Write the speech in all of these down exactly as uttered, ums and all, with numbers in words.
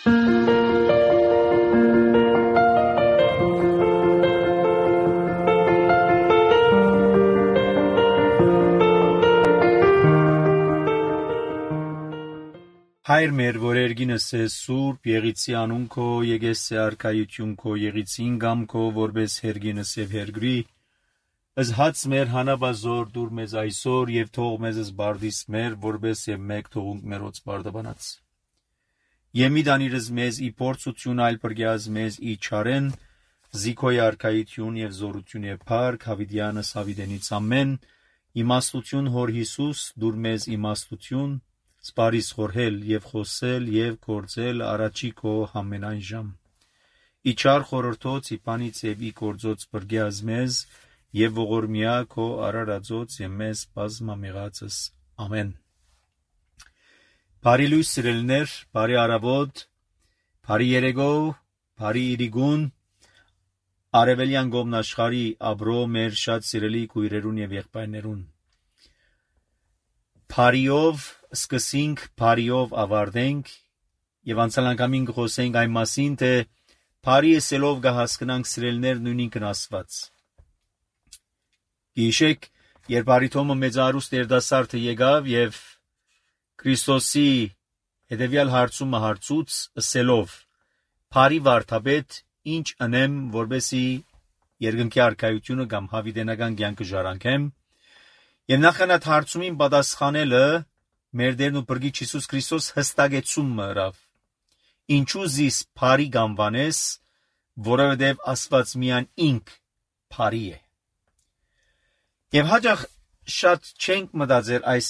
Հայր մեր, որ երգինս է սուրբ, եղիցի անուն քո, եկես է արքայություն քո, եղիցին գամ քո, որպես հերգինս եւ հերգրի, ըզ հաց մեր հանաբազոր դուր մեզ այսօր եւ թող մեզ զբարդիս մեր, որպես եւ մեկ թողունք մերոց բարդաբանած։ Եմի դանիրս մեզ ի փորձություն այլ բրգյազ մեզ ի չարեն, զիքոյ արքայություն եւ զորություն եւ փառք հավիդյանս հավիդենից ամեն, իմաստություն հոր Հիսուս դուր մեզ իմաստություն, սպարիս խորհել եւ խոսել եւ կործել առաջի քո ամենայն ժամ։ Իչար խորհրդոց իպանից եւ ի կործոց բրգյազ մեզ եւ ողորմիա քո արարածոց եւ մեզ բազմամեղածս ամեն։ Բարի լույս սիրելիներ, բարի առավոտ, բարի երեկո, բարի իրիգուն, արևելյան գոմնաշխարի աբրո մեր շատ սիրելի քույրերուն եւ եղբայրներուն։ Բարիով սկսենք, բարիով ավարտենք եւ անցյալ անգամին խոսենք այն մասին, թե բարի ասելով կհասկանանք սիրելիներ նույնին Աստված։ Գիշեք, երբ Արիթոմը մեծարուստ երդասարտը եկավ եւ Քրիստոսի հետեւյալ հարցումը հարցուց ասելով. «Բարի վարդապետ, ինչ անեմ, որպեսզի երկնքի արքայությունը կամ հավիտենական կյանքը ժառանգեմ»։ Եվ նախանդ հարցումին պատասխանելը մեր Տերն ու Փրկիչ Հիսուս Քրիստոս հստակեցումը ըրավ։ Ինչու զիս բարի գանվանես, որովհետև Աստված միայն ինք բարի է։ Եվ հաճախ շատ չենք մտածել այս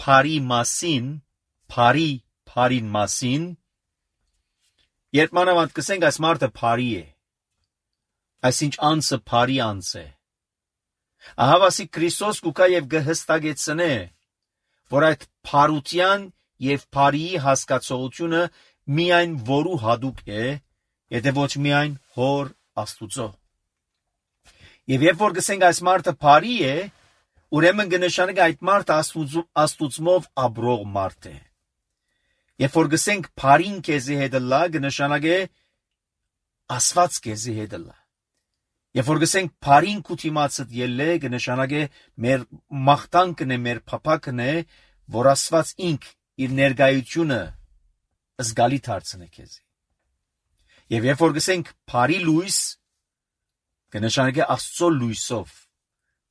բարի մասին, բարի բարին մասին, երբ մանավանդ կսենք այս մարդը բարի է, այսինչ անձը բարի անձ է։ Ահավասիկ Քրիստոս կուկա եւ կհստակեցնե, որ այդ բարության եւ բարիի հասկացողությունը միայն որու հատուկ է, եթե ոչ միայն հոր Աստուծո։ Եվ երբ որ կսենք այս մարդը բարի է, ուրեմն կնշանակի այդ մարդը Աստուծմով ապրող մարդ է։ Երբ որ կսենք բարին քեզի հետ լա, կնշանակի Աստված քեզի հետ լա։ Երբ որ գսենք բարին քութիմացդ ելլե, կնշանակի մեր մաղթանքն է, մեր փափակն է, որ Աստված ինք իր ներկայությունը զգալի դարձնե քեզ։ Եվ երբ որ գսենք բարի լույս, կնշանակի Աստծո լույսով։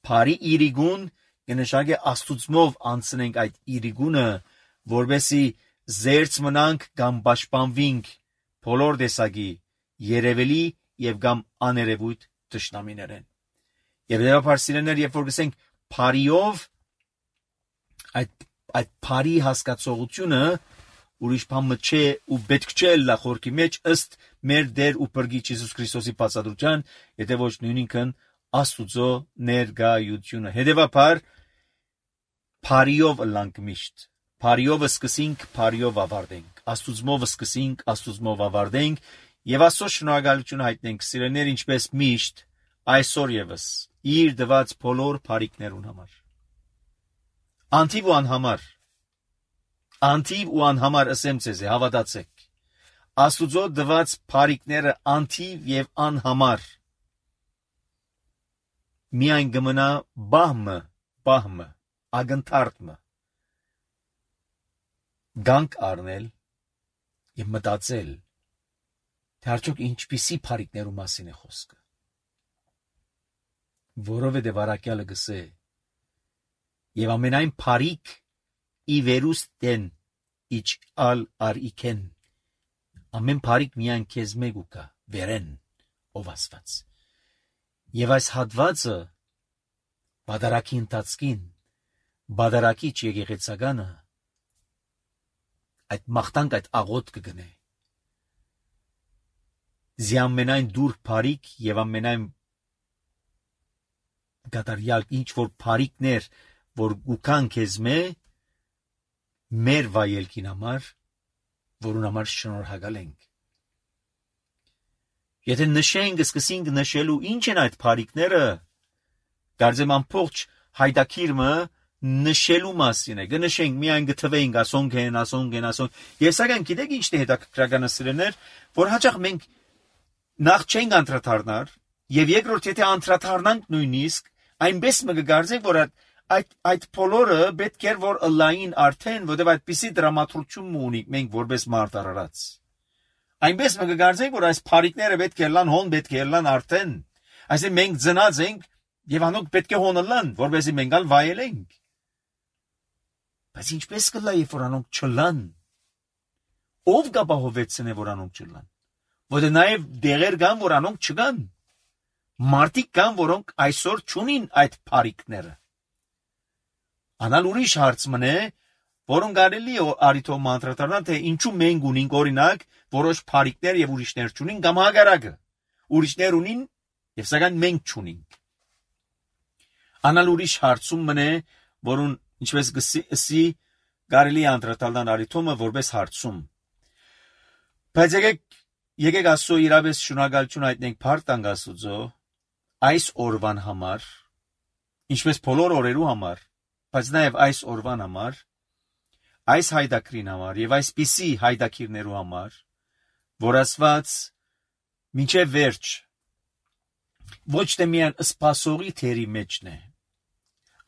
Բարի իրիգուն կնշանակի Աստուծմով անցնենք այդ իրիգունը, որովհետեւ զերծ մնանք կամ պաշտպանվենք բոլոր տեսակի երևելի եւ կամ աներևույթ տշնամիներեն։ Եվ դեպի սիրելիներ, երբ որ գսենք բարիով, այդ այդ բարի հասկացողությունը ուրիշ բան չէ ու պետք չէ լա խորքի մեջ ըստ մեր Տեր ու Փրկիչ Հիսուս Քրիստոսի բացատրության, եթե ոչ նույնինքն Աստուծո ներկայությունը։ Հետևաբար բարիով լանք միշտ, բարիով սկսենք, բարիով ավարտենք, Աստուծմով սկսենք, Աստուծմով ավարտենք եւ Աստծո շնորհակալություն հայտնենք սիրելիներ, ինչպես միշտ այսօր եւս իր դված բոլոր բարիքներուն համար։ Անտիվ ու անհամար, անտիվ ու անհամար ասեմ ձեզ, հավատացեք, Աստուծո դված բարիքները անտիվ եւ անհամար միայն գմնա բահմը, բահմը, ագնթարթմը գանք առնել եւ մտածել, թե արդյոք ինչպիսի բարիքներու մասին է խոսքը։ Որովհետև առաքյալը գսե եւ ամենայն բարիք ի վերուստեն իչ ալ արիքեն, ամեն բարիք միայն քեզ մեկ ուկա վերեն ով Աստված։ Եվ այս հատվածը բادرակի ընթացքին, բادرակիչ եկեղեցականը այդ մաղթանք, այդ աղոտ կգնե։ Զի ամենայն դուր բարիք եւ ամենայն գադարյալ ինչ որ բարիքներ, որ գուքան քեզ մե մեր վայելքին համար, որուն համար շնորհակալ ենք։ Եթե նշենք, սկսենք նշելու ինչ են այդ բարիքները, կարծեմ ամբողջ հայդակիրը նշելու մասին է, գնշենք միայն գթվեինք ասոնք են, ասոնք են, ասոնք։ Ես սակայն գիտեք ինչն է հետաքրքրականը սիրելիներ, որ հաճախ մենք նախ չենք անդրադառնար, եւ երկրորդ եթե անդրադառնանք նույնիսկ, այնպես մը կգարձենք, որ այդ այդ բոլորը պետք է որ լայն արդեն, որովհետեւ այդպիսի դրամատուրգիա ունենք մենք որպես մարդ արարած։ Այնպես մը կգարձենք, որ այս փարիկները պետք է լան հոն պետք է լան արդեն։ Այսինքն մենք ծնած ենք եւ անոնք պետք է հոնը լան, որովհետեւ մենք ալ վայելենք։ Բայց ինչպես կլա երբ որ անոնք չլան։ Ով կապահովեցնե որ անոնք չլան։ Որը նաեւ դեղեր կան, որ անոնք չկան։ Մարդիկ կան, որոնք այսօր չունին այդ փարիկները։ Անալ ուրիշ հարց մնե, որոնք կարելի է արիթով մանտրատարան, թե ինչու մենք ունենք օրինակ որոշ փարիկներ եւ ուրիշներ չունին կամ հագարակը։ Ուրիշներ ունին եւ սակայն մենք չունենք։ Անալ ուրիշ հարցում մնե, որուն ինչպես գսի կարելի անդրադառնալ արիթոմը որպես հարցում։ Բայց եկեք եկեք ասո իրավես շնորհակալություն հայտնենք Փարթանգ Աստծո այս օրվան համար, ինչպես բոլոր օրերու համար, բայց նաև այս օրվան համար, այս հայդակրին համար եւ այսպիսի հայդակիրներու համար, որ Աստված մինչև վերջ ոչ թե միայն սպասողի թերի մեջն է,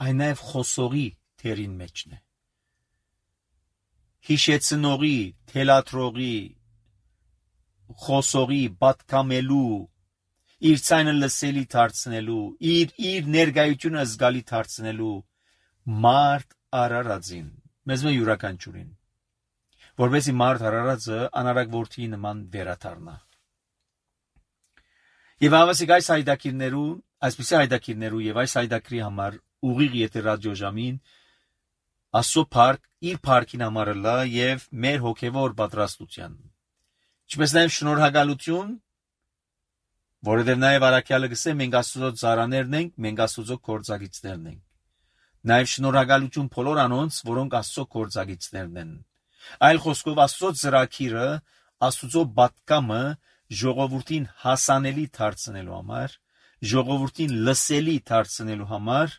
այլ նաև խոսողի թերին մեջն է։ Հիշեցնողի, թելադրողի, խոսողի, պատկամելու, իր ցայնը լսելի դարձնելու, իր իր ներկայությունը զգալի դարձնելու մարդ արարածին, մեզ մը յուրաքանչյուրին, որովհետեւ մարդ արարածը անարակ որդի նման վերաթարնա։ Եվ ավասիկ այս հայդակիրներու, այսպիսի հայդակիրներու եւ այս հայդակրի համար ուղիղ եթե ռադիոժամին ասո փարք իր փարքին համար լա եւ մեր հոգեվոր պատրաստության։ Ինչպես նաև շնորհակալություն, որովհետև նաև Արաքյալը գսե մենք Աստծո ծառաներն ենք, մենք Աստծո գործակիցներն ենք։ Նաև շնորհակալություն բոլոր անոնց, որոնք Աստծո գործակիցներն են։ Այլ խոսքով Աստծո ծրագիրը, Աստծո պատկամը ժողովրդին հասանելի դարձնելու համար, ժողովրդին լսելի դարձնելու համար,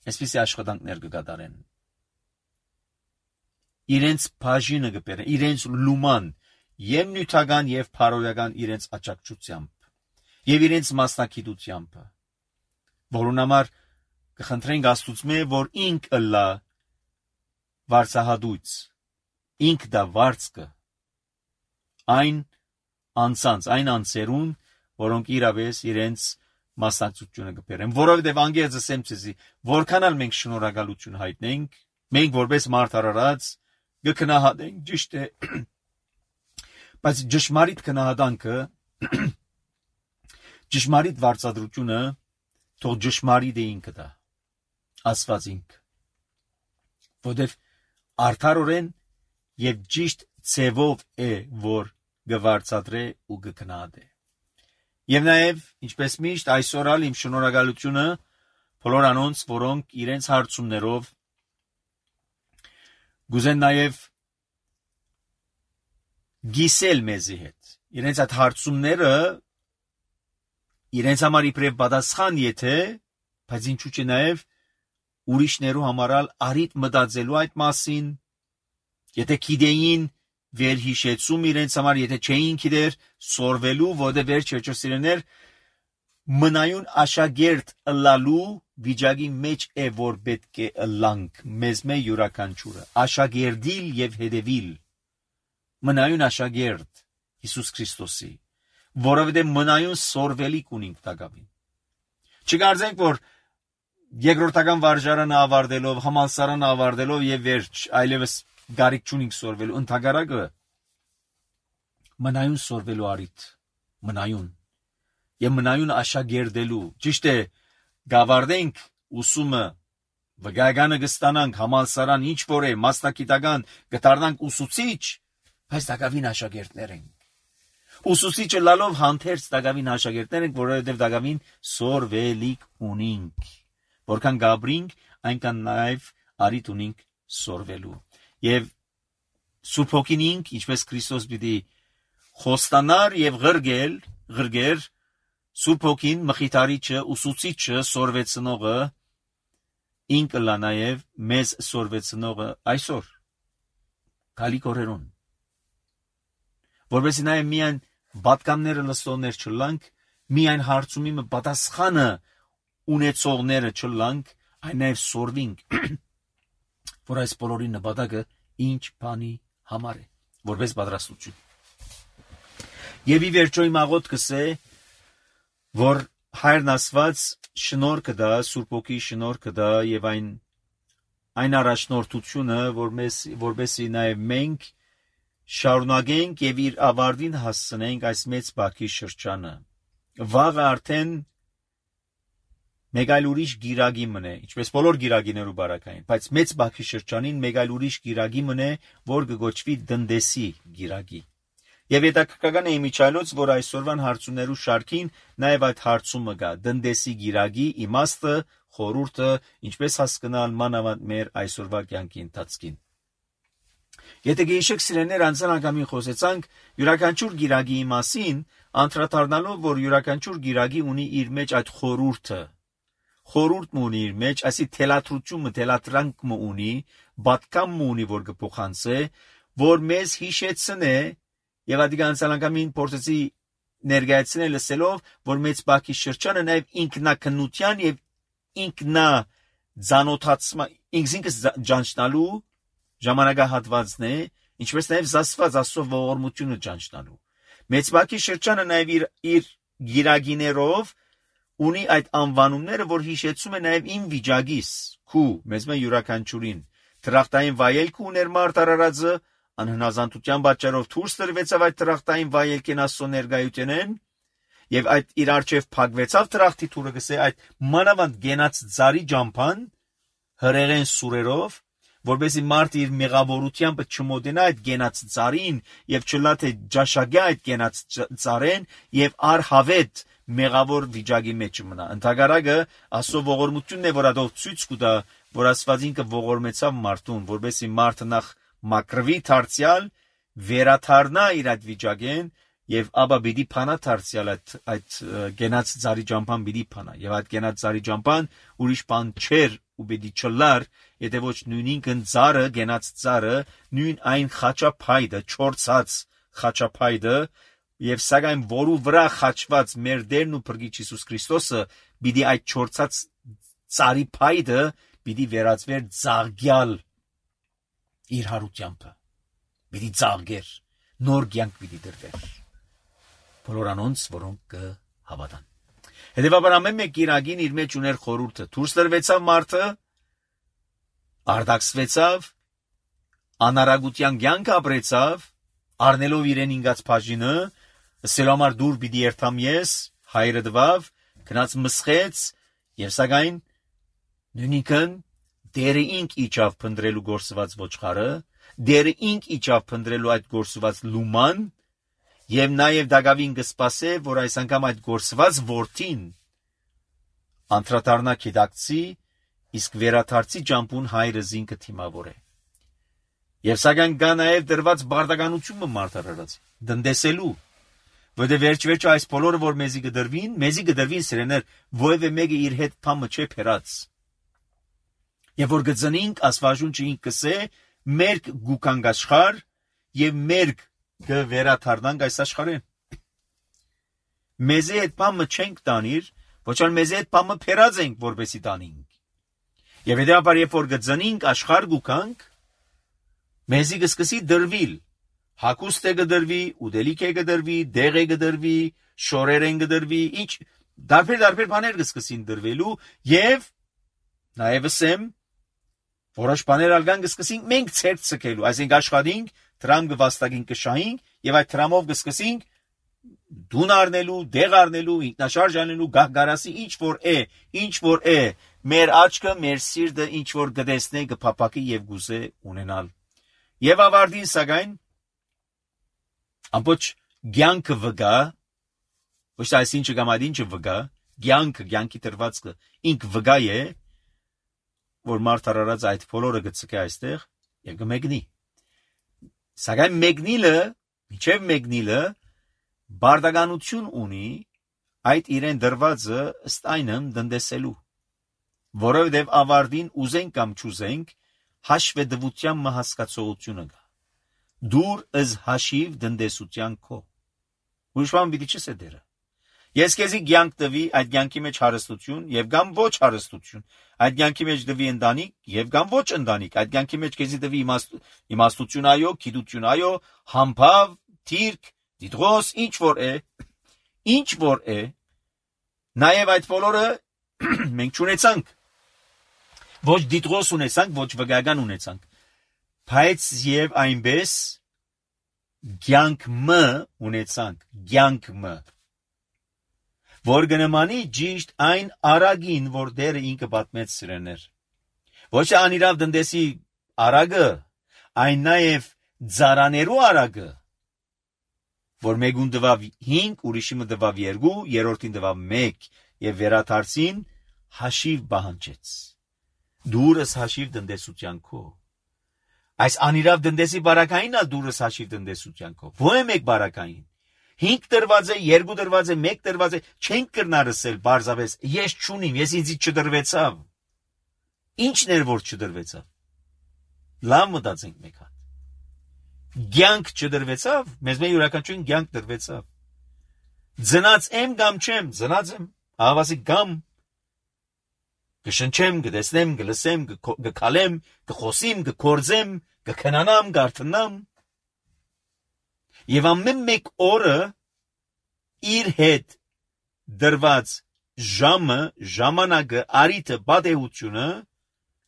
այսպիսի աշխատանքներ կկատարեն։ Իրենց բաժինը կբերեն, իրենց լուման Եվ նյութական եւ փարոյական իրենց աճակցությամբ եւ իրենց մասնակցությամբ, որուն համար կխնդրենք Աստծո, որ ինքը լա վարսահատույց, ինք դա վարձկը, այն անցանց, այն անցերուն, որոնք իրավես իրենց մասնակցությունը կբերեն, որովհետեւ անգերձը սեմցի, որքան էլ մենք շնորհակալություն հայտնենք, մենք որպես մարդ արարած կգնահատենք ճիշտ է Բայց ճշմարիտ քնահատանքը, ճշմարիտ վարձատրությունը թող ճշմարիտ է ինքը դա, Աստված ինքը, որովհետև արդարորեն եւ ճիշտ ցևով է, որ գվարձատրե ու գքնահատե։ Եվ նաեւ, ինչպես միշտ, այսօր ալ իմ շնորհակալությունը բոլոր անոնց, որոնք իրենց հարցումներով գուզեն նաեւ գիսել մեզի հետ։ Իրենց այդ հարցումները իրենց համար իբրև պատասխան եթե, բայց ինչու՞ չէ նաև ուրիշներու համարալ արիտ մտածելու այդ մասին, եթե գիտեին վերհիշեցում իրենց համար, եթե չէին գիտեր սորվելու, որտեղ վերջ սիրեներ մնայուն աշակերտ ըլլալու վիճակի մեջ է, որ պետք է ըլլանք մեզ մե յուրաքանչյուրը, աշակերտիլ եւ հետևիլ մնայուն աշակերտ Հիսուս Քրիստոսի, որովհետև մնայուն սորվելիք ունենք տակավին։ Չկարծենք, որ երկրորդական վարժարանը ավարտելով, համալսարանը ավարտելով եւ վերջ, այլևս գարիք չունենք սորվելու, ընդհակառակը մնայուն սորվելու արիտ, մնայուն եւ մնայուն աշակերտելու, ճիշտ է, գավարտենք ուսումը, վգայականը կստանանք, համալսարան ինչ որ է, մասնագիտական կդառնանք ուսուցիչ, բայց դակավին աշակերտներ ենք։ Ուսուցիչը լալով հանդերձ դակավին աշակերտներ ենք, որովհետև դակավին սորվելիք ունենք։ Որքան գաբրինք, այնքան նաև արիտ ունենք սորվելու։ Եվ Սուրբ Հոգին ինք, ինչպես Քրիստոս պիտի խոստանար եւ ղրգել, ղրգեր, Սուրբ Հոգին մխիթարիչը, ուսուցիչը, սորվեցնողը ինքը լա նաև մեզ սորվեցնողը այսօր գալիք օրերուն որովհետեւ նաև միայն պատկանները լսողներ չլանք միայն հարցումի մը պատասխանը ունեցողները չլանք այն նաև սորվինք որ այս բոլորի նպատակը ինչ բանի համար է որպես պատրաստություն եւ ի վերջո իմ աղոթքս է որ հայրն ասված շնորհքը դա Սուրբ Օքի շնորհքը դա եւ այն այն առաջնորդությունը որ մեզ որբեսի նաև մենք շարունակենք եւ իր ավարտին հասցնենք այս մեծ բակի շրջանը վաղը արդեն մեկ այլ ուրիշ գիրագի մնե ինչպես բոլոր գիրագիներու բարակային բայց մեծ բակի շրջանին մեկ այլ ուրիշ գիրագի մնե որ կգոչվի դնդեսի գիրագի եւ հետաքրքրական է իմիջայլոց որ այսօրվան հարցումներու շարքին նաև այդ հարցումը կա դնդեսի գիրագի իմաստը խորուրդը ինչպես հասկանալ մանավանդ մեր այսօրվա կյանքի ընթացքին եթե գեշեք սիրեներ անցան անգամին խոսեցանք յուրաքանչյուր գիրագի մասին անդրադառնալով որ յուրաքանչյուր գիրագի ունի իր մեջ այդ խորուրդը խորուրդը ունի իր մեջ այսի թելադրությունը թելատրանքը ունի բատկամը ունի որ կփոխանցե որ մեզ հիշեցնե եւ ադիգ անցան անգամին փորձեցի ներկայացնել լսելով որ մեծ բակի շրջանը նաև ինքնակնության եւ ինքնա ցանոթացման ինքնինքս ճանչնալու ժամանակահատվածն է ինչպես նաև զասված աստծո ողորմությունը ճանչնալու մեծ բակի շրջանը նաև իր իր գիրագիներով ունի այդ անվանումները որ հիշեցում է նաև իմ վիճակիս քու մեզ մե յուրաքանչյուրին դրախտային վայելք ուներ մարդ արարածը անհնազանդության պատճառով դուրս տրվեցավ այդ դրախտային վայելքեն աստծո ներկայությունեն եւ այդ իր արչեւ փակվեցավ դրախտի թուրը գսե այդ մանավանդ գենաց ծարի ջամփան հրեղեն սուրերով որբեսի մարդ իր մեղավորությամբ չմոտենա այդ գենաց ծարին եւ չլա թե ջաշագա այդ գենաց ծարեն եւ արհավետ մեղավոր վիճակի մեջ մնա ընդհանրակը աստծո ողորմությունն է որ ադով ցույց կտա որ աստվածինքը ողորմեցավ մարդուն որբեսի մարդը նախ մակրվի դարձյալ վերաթարնա իր այդ վիճակեն եւ ապա բիդի փանա դարձյալ այդ այդ գենաց ծարի ջամփան բիդի փանա եւ այդ գենաց ծարի ջամփան ուրիշ բան չէր ու բիդի չլար եթե ոչ նույնինքն ծարը գենաց ծարը նույն այն խաչափայդը չորցած խաչափայդը եւ սակայն որու վրա խաչված մեր Տերն ու Փրկիչ Հիսուս Քրիստոսը բիդի այդ չորցած ծարի փայդը բիդի վերածվեր ծաղկյալ իր հարությամբ բիդի ծաղկեր նոր կյանք բիդի դրվեր բոլոր անոնց որոնք կհավատան հետեւաբար ամեն մեկ գիրագին իր մեջ ուներ խորուրդը դուրս տրվեցավ մարդը արդակսվեցավ անարագության կյանք ապրեցավ առնելով իրեն ինգած բաժինը սելամար դուր բիդի երթամ ես հայրը դվավ գնաց մսխեց եւ սակայն նույնիկն դերը ինք իջավ փնդրելու գործված ոչխարը դերը ինք իջավ փնդրելու այդ գործված լուման եւ նաեւ դակավին կսպասե որ այս անգամ այդ գործված ворթին անդրադառնա քիդակցի իսկ վերաթարցի ջամփուն հայրը զինքը թիմավոր է եւ սակայն կա նաեւ դրված բարդականությունը մարդարարած դնդեսելու որտեղ վերջ-վերջը այս բոլորը որ մեզի կդրվին մեզի կդրվին սրեներ ովևէ մեկը իր հետ փամը չէ փերած եւ որ գծնինք ասվաժունչը ինքսե մերկ գուքանք աշխար եւ մերկ կվերաթարնանք այս աշխարհին մեզի հետ փամը չենք տանիր ոչ այլ մեզի հետ փամը փերած ենք որպեսի տանինք եւ հետեւաբար երբ որ գծնինք աշխար գուքանք մեզի կսկսի դրվիլ հակուստ է կդրվի ուդելիք է կդրվի դեղ է կդրվի շորեր են կդրվի ինչ դարբեր դարբեր բաներ կսկսին դրվելու եւ նաեւ ասեմ որոշ բաներ ալգան կսկսենք մենք ցերտ ցկելու այսինքն աշխատենք դրամ կվաստակին կշահենք եւ այդ դրամով կսկսենք դուն առնելու դեղ առնելու ինքնաշարժ անելու գահգարասի ինչ որ է ինչ որ է մեր աչքը մեր սիրտը ինչ որ գտեսնե կփապակի եւ գուզե ունենալ եւ ավարտին սակայն ամբողջ ցանկը վգա ոչ թե այսինչը գամադինչը վգա ցանկը ցանկի դրվածքը ինք վգա է որ մարդ արարած այդ բոլորը գծկե այստեղ եւ կմեկնի սակայն մեկնիլը միջև մեկնիլը բարդականություն ունի այդ իրեն դրվածը ըստ այնմ դնդեսելու որովհետև ավարտին ուզենք կամ չուզենք, հաշվետվության մահասկացողությունը կա։ Դուր ըզ հաշիվ դնդեսության քո։ Ուրիշ բան պիտի չես է դերը։ Ես քեզի կյանք տվի, այդ կյանքի մեջ հարստություն եւ կամ ոչ հարստություն, այդ կյանքի մեջ տվի ընտանիք եւ կամ ոչ ընտանիք, այդ կյանքի մեջ քեզի տվի իմաստություն այո, գիտություն այո, համբավ, թիրք, դիդրոս, ինչ որ է, ինչ որ է, նաեւ այդ բոլորը մենք չունեցանք։ Ոչ դիդրոս ունեցանք, ոչ վգական ունեցանք, բայց եւ այնպես կյանք մը ունեցանք, կյանք մը, որ գնմանի ճիշտ այն արագին, որ դերը ինքը պատմեց սրեներ։ Ոչ անիրավ դնդեսի արագը, այն նաև ձարաներու արագը, որ մեկուն դվավ հինգ, ուրիշիմը դվավ երկու, երորդին դվավ մեկ, և վերադարձին հաշիվ բահանջեց։ Դուրս հաշիվ դնդեսության քո։ Այս անիրավ դնդեսի բարակայինն ալ դուրս հաշիվ դնդեսության քո։ Ո՞ե մեկ բարակային։ Հինգ դրված է, երկու դրված է, մեկ դրված է, չենք կրնարսել բարձավես, ես չունիմ, ես ինձից չդրվեցավ։ Ինչն էր, որ չդրվեցավ։ Լավ մտածենք մեկ հատ։ Կյանք չդրվեցավ, մեզ մեր յուրաքանչյուրին կյանք դրվեցավ։ Ձնած եմ կամ չեմ, ձնած եմ, ահավասիկ կամ կշնչեմ, կտեսնեմ, կլսեմ, կքալեմ, կխոսիմ, կքործեմ, կքնանամ, կարթնամ։ Եվ ամեն մեկ օրը իր հետ դրված ժամը, ժամանակը, արիթը, բադեությունը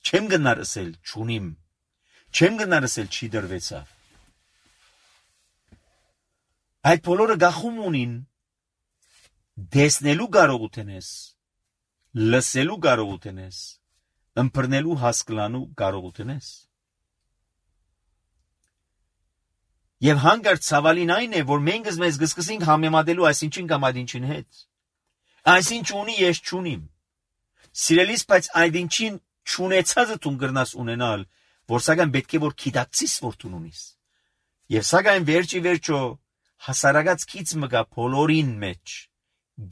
չեմ գնար ասել չունիմ, չեմ գնար ասել չի դրվեցավ։ Այդ բոլորը գախում ունին դեսնելու կարողություն ես, լսելու կարողություն ես, ըմբռնելու հասկլանու կարողություն ես։ Եվ հանգարտ ցավալին այն է, որ մենք մեզ գսկսենք համեմատելու այսինչին կամ այդինչին հետ։ Այսինչ ունի, ես չունիմ։ Սիրելիս, բայց այդինչին չունեցածը դու կգրնաս ունենալ, որ սակայն պետք է որ գիտակցիս, որ դու ունիս։ Եվ սակայն վերջի վերջո հասարակած քիչ մգա բոլորին մեջ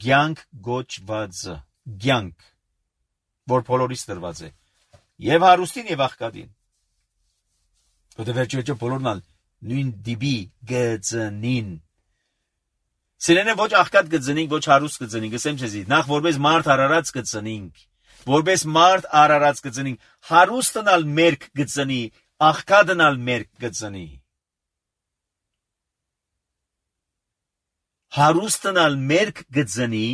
կյանք գոչվածը, կյանք, որ բոլորից դրված է, եւ հարուստին եւ աղքատին։ Որտե վերջի վերջո բոլորն ալ նույն դիբի գծնին։ Սիրելիներ, ոչ աղքատ գծնինք, ոչ հարուստ գծնինք, ասեմ ցեզի, նախ որպես մարդ արարած գծնինք, որպես մարդ արարած գծնինք, հարուստն ալ մերկ գծնի, աղքատն ալ մերկ գծնի։ Հարուստն ալ մերկ գծնի,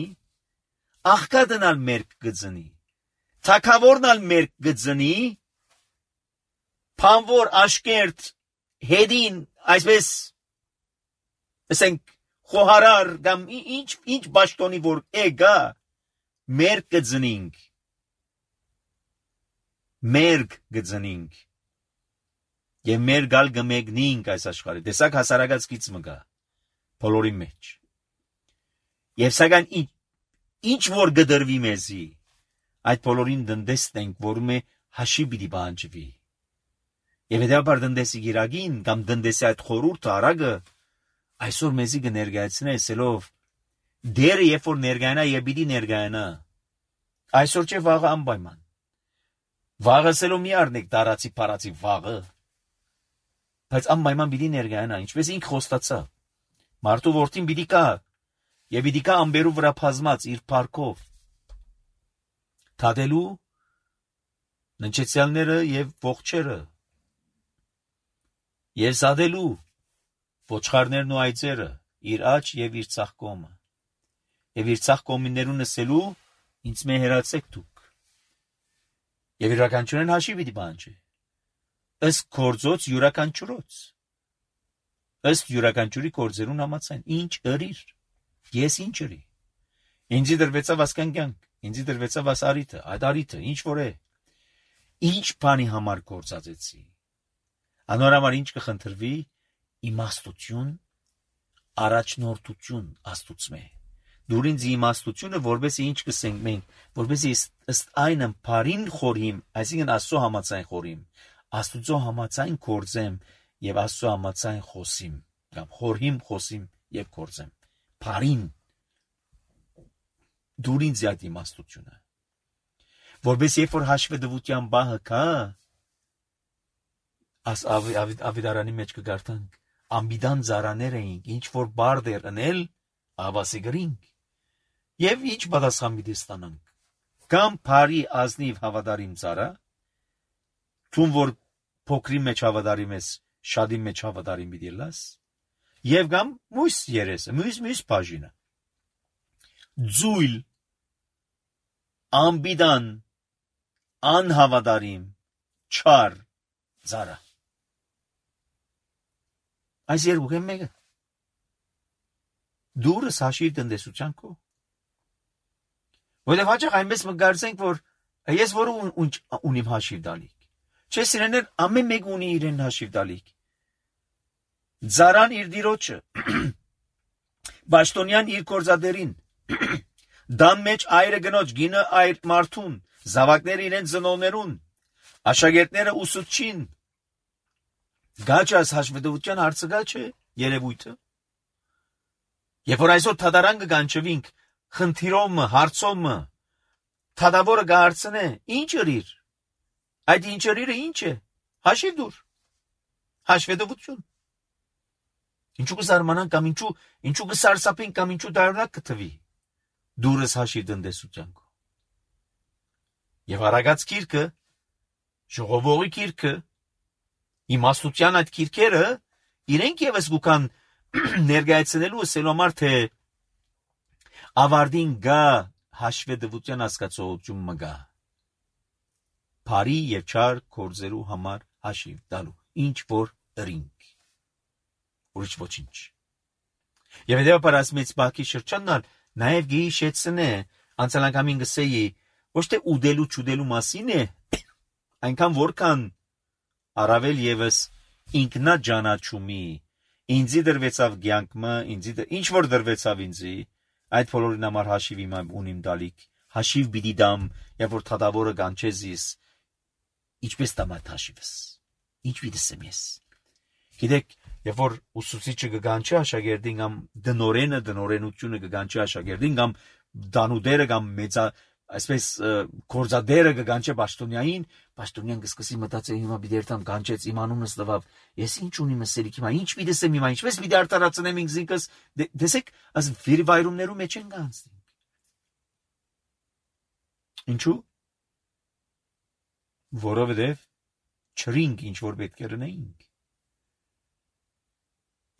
աղքատն ալ մերկ գծնի, թագավորն ալ մերկ գծնի, փանվոր աշկերտ հետին, այսպես, ասենք, խոհարար, կամ ինչ, ինչ բաշտոնի որ էգա, մերկ գծնինք, մերկ գծնինք, և մեր գալ գմեգնինք այս աշխարհի, տեսակ հասարակած կից մգա, բոլորի մեջ, և սակայն ինչ, ինչ որ գդրվի մեզի, այդ բոլորին դնդեսնենք, որում է հաշի պիտի բանջվի, և հետևաբար դնդեսի գիրագին, կամ դնդեսի այդ խորուրդը արագը, այսօր մեզի կներկայացնե ասելով, դերը երբ որ ներկայանա եւ պիտի ներկայանա, այսօր չէ վաղը անպայման, վաղը ասելով մի առնեք տարածի փարածի վաղը, բայց անպայման պիտի ներկայանա, ինչպես ինք խոստացավ, մարդու որդին պիտի կա, եւ պիտի կա ամբերու վրա բազմած իր փառքով, թադելու ննչեցյալները եւ ողջերը, եւ զադելու ոչխարներն ու այծերը, իր աջ եւ իր ցախ կողմը, եւ իր ցախ կողմիներուն ասելու, ինձ մե հերացեք դուք, եւ յուրաքանչյուրին հաշիվ պիտի բանջի, ըստ գործոց յուրաքանչյուրոց, ըստ յուրաքանչյուրի գործերուն համաձայն, ինչ ըրիր, ես ինչ ըրի, ինձի դրվեցավ ասկան կյանք, ինձի դրվեցավ աս արիթը, այդ արիթը, ինչ որ է, ինչ բանի համար գործածեցի, անորամար ինչ կխնդրվի, իմաստություն, առաջնորդություն աստուծմե, դուր ինձ իմաստությունը, որբեսի ինչ կսենք մենք, որբեսի ըստ այն ըմբարին խորհիմ, այսինքն աստծո համաձայն խորհիմ, աստուծո համաձայն գործեմ եւ աստծո համաձայն խոսիմ, կամ խորհիմ, խոսիմ եւ գործեմ, բարին, դուր ինձ այդ իմաստությունը, որպես երբ որ հաշվետվության բահը կա, աս ավիդարանի մեջ կգարտանք, ամբիդան զարաներ էինք, ինչ որ բարդեր ընել, ավասի գրինք, և ինչ պատասխան մի ստանանք, կամ բարի ազնիվ հավատարիմ ծառա, թուն որ փոքրի մեջ հավատարիմ ես, շատի մեջ հավատարիմ պիտի լաս, և կամ մույս երեսը, մույս մույս բաժինը, ձույլ, ամբիդան, անհավատարիմ, չար, ծառա։ Այս երկուք են մեկը։ Դուրս հաշիվ տնտեսության քո։ Որտեղ հաճախ այնպես մգարցենք, որ ես որ ունիմ հաշիվ տալիք։ Չէ, սիրեներ, ամեն մեկ ունի իրեն հաշիվ տալիք։ Ծառան իր դիրոջը, Պաշտոնյան իր գործադերին, դան մեջ այրը գնոջ, գինը այր մարդուն, զավակները իրեն ծնողներուն, աշակերտները ուսուցչին։ Գաճը այս հաշվետվության հարցը գա չէ, երևույթը։ Երբ որ այսօր թադարան կգանչվինք, խնդիրոմը, հարցոմը, թադավորը գահարցնե, ինչ ըրիր։ Այդ ինչ ըրիրը ինչ է, հաշիվ դուր, հաշվետվություն։ Ինչու կզարմանանք կամ ինչու, ինչու կսարսափենք կամ ինչու դարունակ կթվի, դուրս հաշիվ տնտեսության քո։ Եվ Արագած գիրքը, ժողովողի գիրքը, իմաստության այդ գիրքերը, իրենք ևս գուքան ներկայացնելու ասելու համար, թե ավարտին գա հաշվետվության հասկացողություն մգա։ Բարի և չար գործերու համար հաշիվ տալու, ինչ որ ըրինք, ուրիշ ոչինչ։ Եվ հետևաբար այս մեծ բակի շրջանն նաև գեի շեցնե, անցալանգամին գսեի, ոչ թե ուդելու չուդելու մասին է, այնքան որքան առավել ևս ինքնաջանաչումի, ինձի դրվեցավ կյանքը, ինձի ինչ որ դրվեցավ ինձի, այդ բոլորին համար հաշիվ իմ ունիմ տալիք, հաշիվ պիտի տամ, երբ որ թադավորը կանչես ես, ինչպես տամ այդ հաշիվս, ինչ պիտի ասեմ ես։ Գիտեք, երբ որ ուսուցիչը կկանչի աշակերտին կամ դնորենը դնորենությունը կկանչի աշակերտին կամ դանուդերը կամ մեծա այսպես գործադերը կկանչի պաշտոնյային, պաշտոնյան կսկսի մտածել հիմա պիտի երթամ կանչեց իմ անունս տվավ, ես ինչ ունիմ ասելիք հիմա, ինչ պիտի ասեմ հիմա, ինչպես պիտի արտարացնեմ ինձ ինքս, տեսեք, այս վիրվայրումներու մեջ են գանցնենք։ Ինչու՞։ Որովհետև չրինք ինչ որ պետք է ունեինք։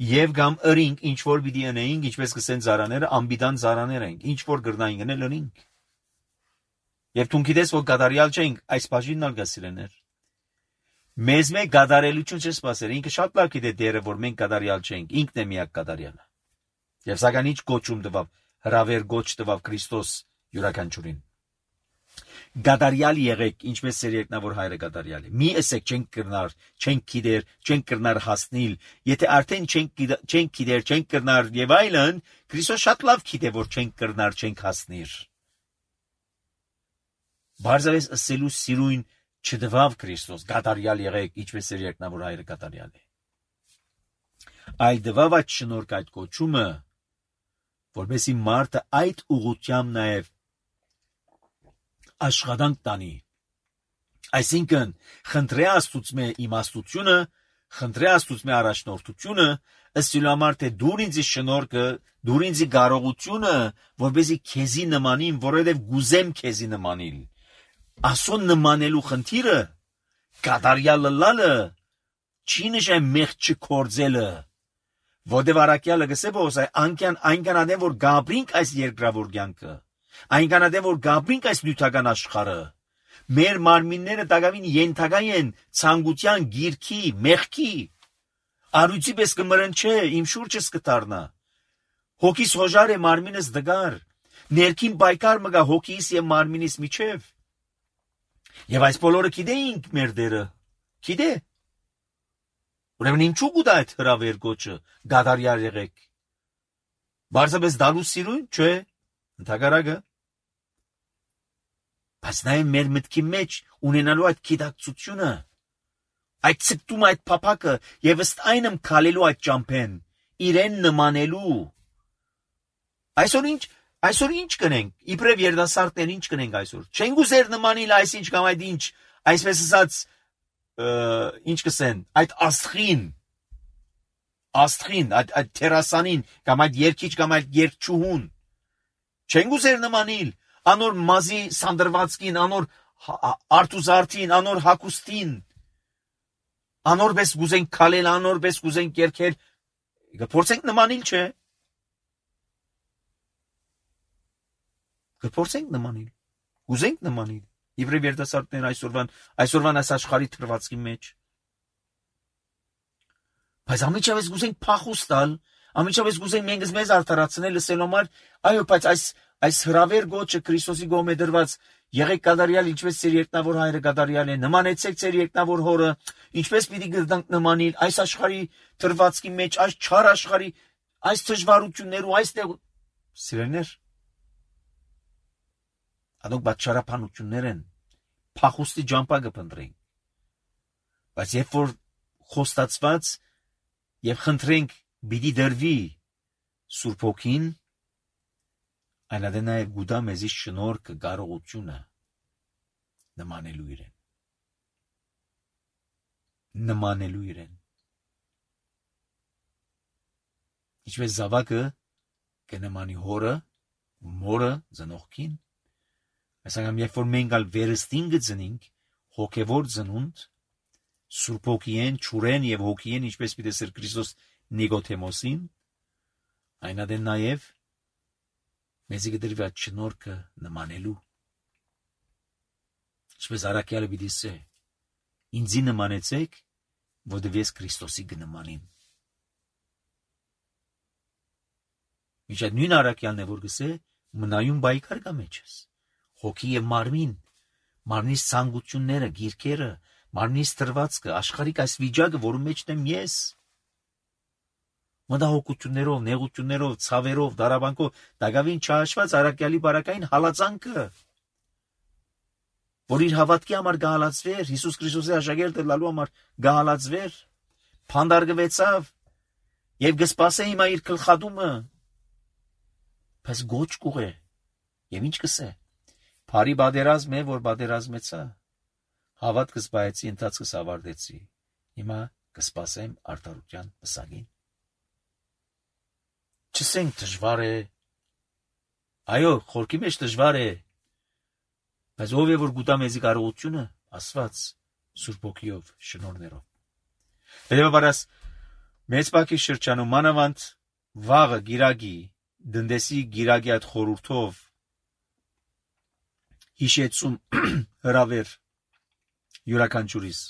Եվ կամ ըրինք ինչ որ պիտի ունեինք, ինչպես կսեն ծառաները, ամբիդան ծառաներ ենք, ինչ որ գրնային գնել ունենք։ Եվ դու գիտես, որ գադարյալ չենք, այս բաժինն ալ գասիրեներ։ Մեզ մեկ գադարելություն չսպասեր, ինքը շատ լավ գիտե դերը, որ մենք գադարյալ չենք, ինքն է միակ գադարյալը։ Եվ սակայն ինչ գոչում տվավ, հրավեր գոչ տվավ Քրիստոս յուրաքանչյուրին։ Գադարյալ եղեք, ինչպես ծեր երկնավոր հայրը գադարյալ է։ Մի ասեք չենք կրնար, չենք գիտեր, չենք կրնար հասնիլ, եթե արդեն չենք չենք գիտեր, չենք կրնար եւ այլն, Քրիստոս շատ լավ գիտե, որ չենք կրնար, չենք հասնիր։ Բարձրապես ասելու սիրուն չդվավ Քրիստոս, գադարյալ եղեք, ինչպես ծեր երկնավոր հայրը գադարյալ է։ Այլ դվավ այդ շնորհք այդ կոչումը, որովհետեւ մարդը այդ ուղղությամբ նաեւ աշխատանք տանի, այսինքն խնդրե Աստուծմե իմաստությունը, խնդրե Աստուծմե առաջնորդությունը, ըստ համար թե դուր ինձի շնորհքը, դուր ինձի կարողությունը, որպեսզի քեզի նմանին, որովհետև գուզեմ քեզի նմանիլ, ասոն նմանելու խնդիրը, կատարյալը լալը, չի նշան մեղք չքործելը, որտև առաքյալը գսե բոս այնքան այնքան ադեմ որ գաբրինք այս երկրավոր կյանքը, այնքան ադեմ որ գաբրինք այս նյութական աշխարհը, մեր մարմինները տակավին ենթակա են ցանկության, գիրքի, մեղքի, արույցի պես կմրնչե, իմ շուրջս կդառնա, հոգիս հոժար է մարմինս դգար, ներքին պայքար մգա հոգիս եւ մարմինիս միջև, եւ այս բոլորը գիտեինք մեր դերը, գիտե։ Ուրեմն ինչու գուտա այդ հրավեր գոչը, գադարյալ եղեք։ Բարձրապես դալու սիրուն, չէ, ընդհակառակը։ Բայց նաեւ մեր մտքի մեջ ունենալու այդ գիտակցությունը, այդ ցկտումը, այդ փափակը եւ ըստ այնմ քալելու այդ ճամփեն, իրեն նմանելու։ Այսօր ինչ, Այսօր ինչ կնենք, իբրև երիտասարդներ ինչ կնենք այսօր։ Չենք ուզեր նմանիլ այսինչ կամ այդ ինչ, այսպես ասած, ինչ կսեն, այդ աստղին, աստղին, այդ այդ տերասանին կամ այդ երկիչ կամ այդ երկչուհուն։ Չենք ուզեր նմանիլ անոր մազի սանդրվածքին, անոր արտուզարտին, անոր հակուստին։ Անորպես գուզենք քալել, անորպես գուզենք երկել։ Կփորձենք նմանիլ, չէ։ Կփորձենք նմանիլ, ուզենք նմանիլ, իբրև երիտասարդներ այսօրվան, այսօրվան այս աշխարհի թրվածքի մեջ։ Բայց ամիջապես գուզենք փախուստ տալ, ամիջապես գուզենք մենք մեզ արդարացնել լսելու համար, այո, բայց այս այս հրավեր գոչը Քրիստոսի կողմէ դրված, եղեք կատարյալ, ինչպես ձեր երկնավոր հայրը կատարյալ է, նմանեցեք ձեր երկնավոր հորը, ինչպես պիտի գտնանք նմանիլ այս աշխարհի թրվածքի մեջ, այս չար աշխարհի, այս դժվարություններու, այստեղ սիրելիներ, Անոնք բաճարապանություններ են, փախուստի ջամփա կփնտրենք, բայց երբ որ խոստացված եւ խնդրենք պիտի դրվի Սուրբ Հոգին, այնադե նաեւ գուտա մեզի շնորհքը, կարողությունը նմանելու իրեն, նմանելու իրեն, ինչպես զավակը կնմանի հորը, մորը ծնողքին, այսինքն երբ որ մենք ալ վերստին գծնենք հոգևոր ծնունդ Սուրբ Հոգիեն, ճուրեն եւ հոգիեն, ինչպես պիտի սեր Քրիստոս Նիկոդեմոսին, այնադե նաեւ մեզի կդրվի այդ շնորհքը նմանելու, ինչպես առաքյալը պիտի ասե, ինձի նմանեցեք, որովհետեւ ես Քրիստոսի կնմանիմ։ Ինչ այդ նույն առաքյալն է որ գսե, մնայուն բայկար կա մեջս։ Հոգի եւ մարմին, մարմնիս ցանկությունները, գիրքերը, մարմնիս տրվածքը, աշխարհիկ այս վիճակը, որում մեջն եմ ես։ Մտահոգություններով, նեղություններով, ցավերով, դարաբանկով, դակավին չհաշված առաքյալի բարակային հալածանքը, որ իր հավատքի համար գահալացվեր, Հիսուս Քրիստոսի աշակերտը լալու համար գահալացվեր, փանդարգվեցավ եւ կսպասե հիմա իր գլխադումը, բայց գոչ կուղե, եւ ինչ կսե։ Փարի բادرազմ է, որ բادرազմեցա, հավատքս բայեցի, ընթացքս ավարտեցի, հիմա կսպասեմ արդարության պսակին։ Չսենք դժվար է, այո, խորքի մեջ դժվար է, բայց ով է որ գուտա մեզի կարողությունը, Աստված Սուրբ Հոգիով, շնորհներով։ Հետևաբար մեծ բակի շրջանում մանավանդ վաղը գիրագի, դնդեսի գիրագի այդ խորհուրդով հիշեցում հրավեր յուրաքանչյուրիս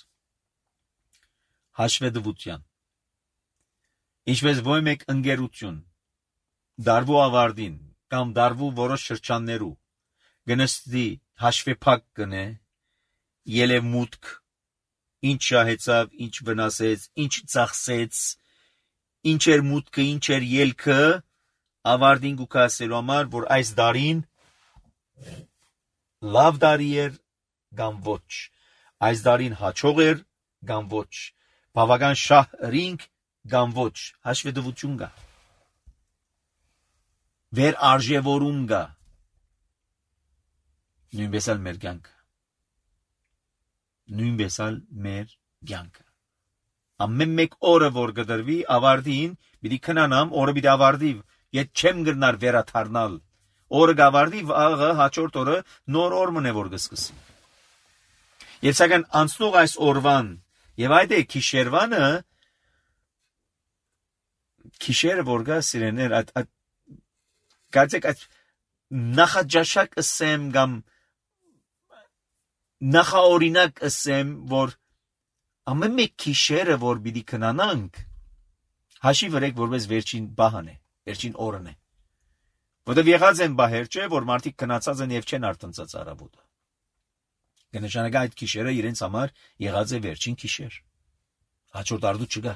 հաշվետվության, ինչպես ոչ մեկ ընկերություն դարվու ավարտին կամ դարվու որոշ շրջաններու գնստի հաշվեփակ կնե, ելևմուտք, ինչ շահեցավ, ինչ վնասեց, ինչ ծախսեց, ինչ էր մուտքը, ինչ էր ելքը, ավարտին գուք ասելու համար, որ այս դարին լավ դարի էր կամ ոչ, այս դարին հաջող էր կամ ոչ, բավական շահ հրինք կամ ոչ, հաշվետվություն կա, վեր արժևորում կա, նույնպես ալ մեր կյանքը, նույնպես ալ մեր կյանքը, ամեն մեկ օրը որ կդրվի ավարտին, պիտի քնանամ, օրը պիտի ավարտի, ետ չեմ գրնար վերաթարնալ, օրը գավարտի, վաղը հաջորդ օրը նոր օր մնե որ կսկսի։ Եվ սակայն անցնող այս օրվան, եւ այդ է քիշերվանը, քիշերը որ գա սիրեներ, այդ, այդ, կարծեք այդ նախաջաշակ ասեմ կամ նախաօրինակ ասեմ, որ ամեն մեկ քիշերը որ պիտի քնանանք, հաշի վրեք որպես վերջին բահան է, վերջին օրն է։ Որտեւ եղած են բահեր չէ, որ մարդիկ քնացած են եւ չեն արտնծած արաբոդը։ Կնշանակա այդ քիշերը իրենց համար եղած է վերջին քիշեր։ Հաջորդ արդու չկա։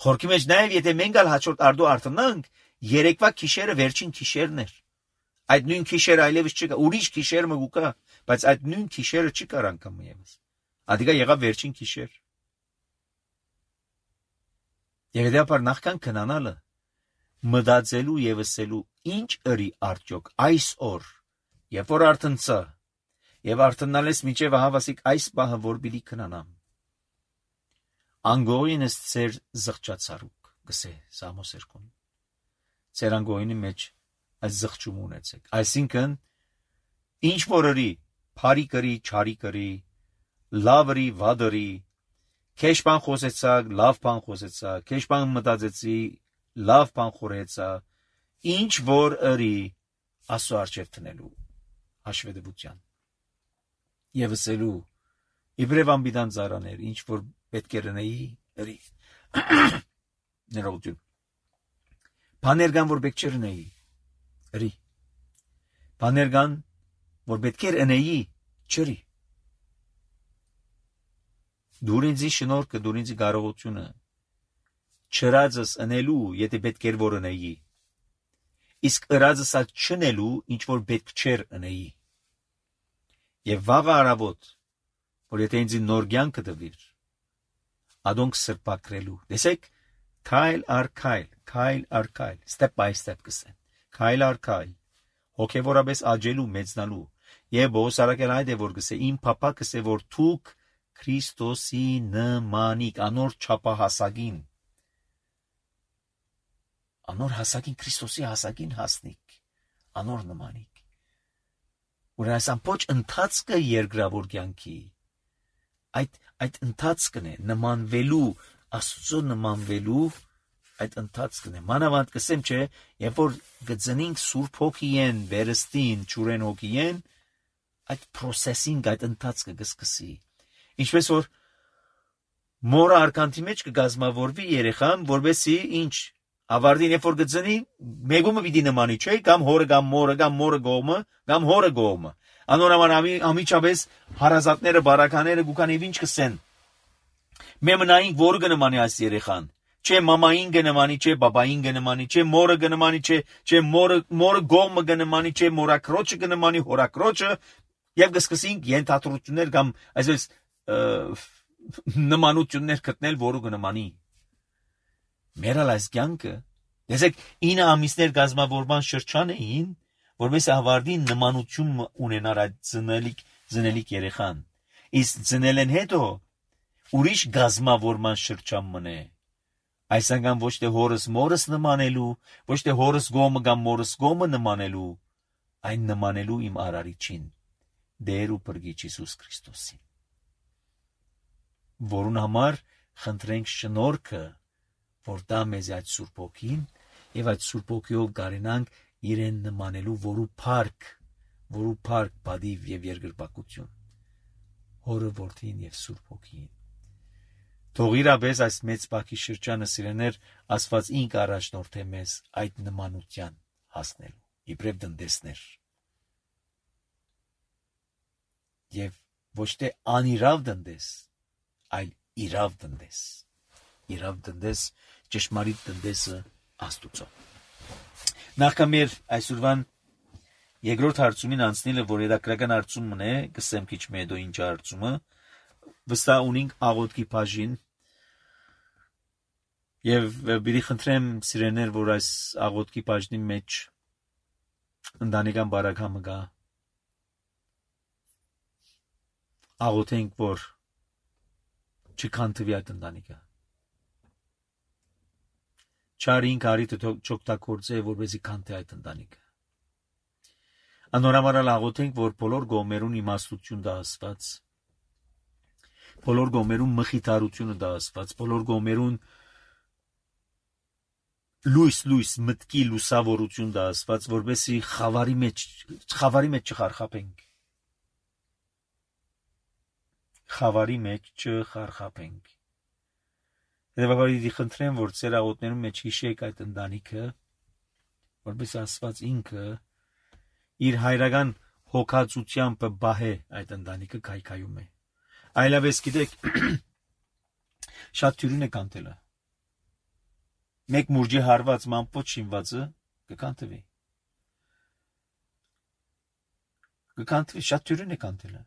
Խորքի մեջ նաեւ եթե մենք ալ հաջորդ արդու արտնանք, երեկվա քիշերը վերջին քիշերն էր։ Այդ նույն քիշերը այլևս չկա, ուրիշ քիշեր մը կա, բայց այդ նույն քիշերը չկար անգամ եւս։ Ադիգա եղավ վերջին քիշեր։ Եվ դեպար նախքան քնանալը մտածելու եւ ասելու ինչ ըրի արդյոք այս օր, երբ որ արթնցա, եւ արթնալես միջև հավասիկ այս բահը որ պիտի քնանամ։ Անգողինս ծեր զղջացարուկ, գսե Սամոս երկուն։ Ծեր անգողինի մեջ այս զղջում ունեցեք։ Այսինքն, ինչ որ ըրի, փարի կրի, չարի կրի, լավ ըրի, վատ ըրի, քեշ բան խոսեցակ, լավ բան խոսեցակ, քեշ բան մտածեցի, լավ բան խորեցա, ինչ որ ըրի Աստծո առջև տնելու հաշվետվության։ Եվ ասելու իբրև անբիդան ծարաներ, ինչ որ պետք է լինեի, ըրի։ Ներողություն։ Բաներ կան, որ պետք չէ լինեի, ըրի։ Բաներ կան, որ պետք է լինեի, չըրի։ Դուր ինձի շնորհքը, դուր ինձի կարողությունը չրածս ընելու, եթե պետք էր որ ընեի, իսկ ըրածս ալ չնելու, ինչ որ պետք չէր ընեի։ Եվ վաղը առավոտ, որ եթե ինձի նոր կյանքը տվիր, ադոնք սրբակրելու, տեսեք, քայլ առ քայլ, քայլ առ քայլ, step by step կսեն, քայլ առ քայլ, հոգևորապես աճելու, մեծնալու, եւ Պողոս առաքյալ այդ է որ գսե, իմ փափակս է որ դուք Քրիստոսի նմանիկ, անոր չափահասակին, անոր հասակին, Քրիստոսի հասակին հասնիկ, անոր նմանիկ։ Որ այս ամբողջ ընթացքը երկրավոր կյանքի, այդ այդ ընթացքն է նմանվելու, Աստծո նմանվելու այդ ընթացքն է։ Մանավանդ կսեմ չէ, երբ որ գծնինք Սուրբ Հոգիեն, վերստին, ճուրեն Հոգիեն, այդ processing, այդ ընթացքը կսկսի։ Ինչպես որ մորը արքանթի մեջ կգազմավորվի երեխան, որովհետեւ ինչ ավարտին երբ որ գծնի, մեգումը պիտի նմանի, չէ՞, կամ հորը կամ մորը, կամ մորը գողմը, կամ հորը գողմը։ Անորոման ամիջապես հարազատները, բարակաները գուքանիվ ինչ կսեն։ Մեմնային որ կնմանի այս երեխան, չէ մամային կնմանի, չէ բաբային կնմանի, չէ մորը կնմանի, չէ չէ մորը մորը գողմը կնմանի, չէ մորակրոջը կնմանի, հորակրոջը, եւ կսկսենք ենթադրություններ կամ այսպես նմանություններ գտնել, որը կնմանի։ Մերալ այս կյանքը, տեսեք, ինը ամիսներ գազմավորման շրջան էին, որպես ավարտին նմանություն ունենար այդ ծնելիք ծնելիք երեխան։ Իսկ ծնելեն հետո ուրիշ գազմավորման շրջան մնե։ Այս անգամ ոչ թե հորս մորս նմանելու, ոչ թե հորս գոմը կամ մորս գոմը նմանելու, այն նմանելու իմ արարիչին, Տեր ու Փրկիչ Հիսուս Քրիստոսին։ Որուն համար խնդրենք շնորհքը, որ դա մեզ այդ Սուրբ Հոգին եւ այդ Սուրբ Հոգիով կարենանք իրեն նմանելու, որու փառք, որու փառք, բադիվ եւ երկրպագություն, Հորը, Որդին եւ Սուրբ Հոգին։ Թող իրապես այս մեծ բակի շրջանը սիրեներ Աստված ինք առաջնորդե մեզ այդ նմանության հասնելու, իբրև դնդեսներ։ Եվ ոչ թե անիրավ դնդես, այլ իրավ դնդես, իրավ դնդես, ճշմարիտ դնդեսը Աստուծո։ Նախքան մեր այսօրվան երկրորդ հարցումին անցնելը, որ երակրական հարցումն է, կսեմ քիչ մեդո ինչ հարցումը, վստահ ունենք աղոթքի բաժին, եւ բիդի խնդրեմ սիրեներ, որ այս աղոթքի բաժնի մեջ ընտանեկան բարակամը գա, աղոթենք, որ չքանթվի այդ ընտանիքը, չարին կարիթը չօգտագործե, որպեսզի քանթի այդ ընտանիքը։ Անորամարալ աղոթենք, որ բոլոր գոմերուն իմաստություն դա Աստված, բոլոր գոմերուն մխիթարությունը դա Աստված, բոլոր գոմերուն լույս լույս մտքի լուսավորություն դա Աստված, որպեսզի խավարի մեջ խավարի մեջ չխարխափենք, խավարի մեջ չխարխափենք։ Հետևաբար խնդրեմ, որ ծեր աղոթներում մեջ հիշեք այդ ընտանիքը, որպեսզի Աստված ինքը իր հայրական հոգացությամբ բահե այդ ընտանիքը քայքայում է։ Այլապես գիտեք, շատ թյուրին է կանտելը։ Մեկ մուրջի հարված մանպոտ շինվածը կկանտվի։ Կկանտվի, շատ թյուրին է կանտելը։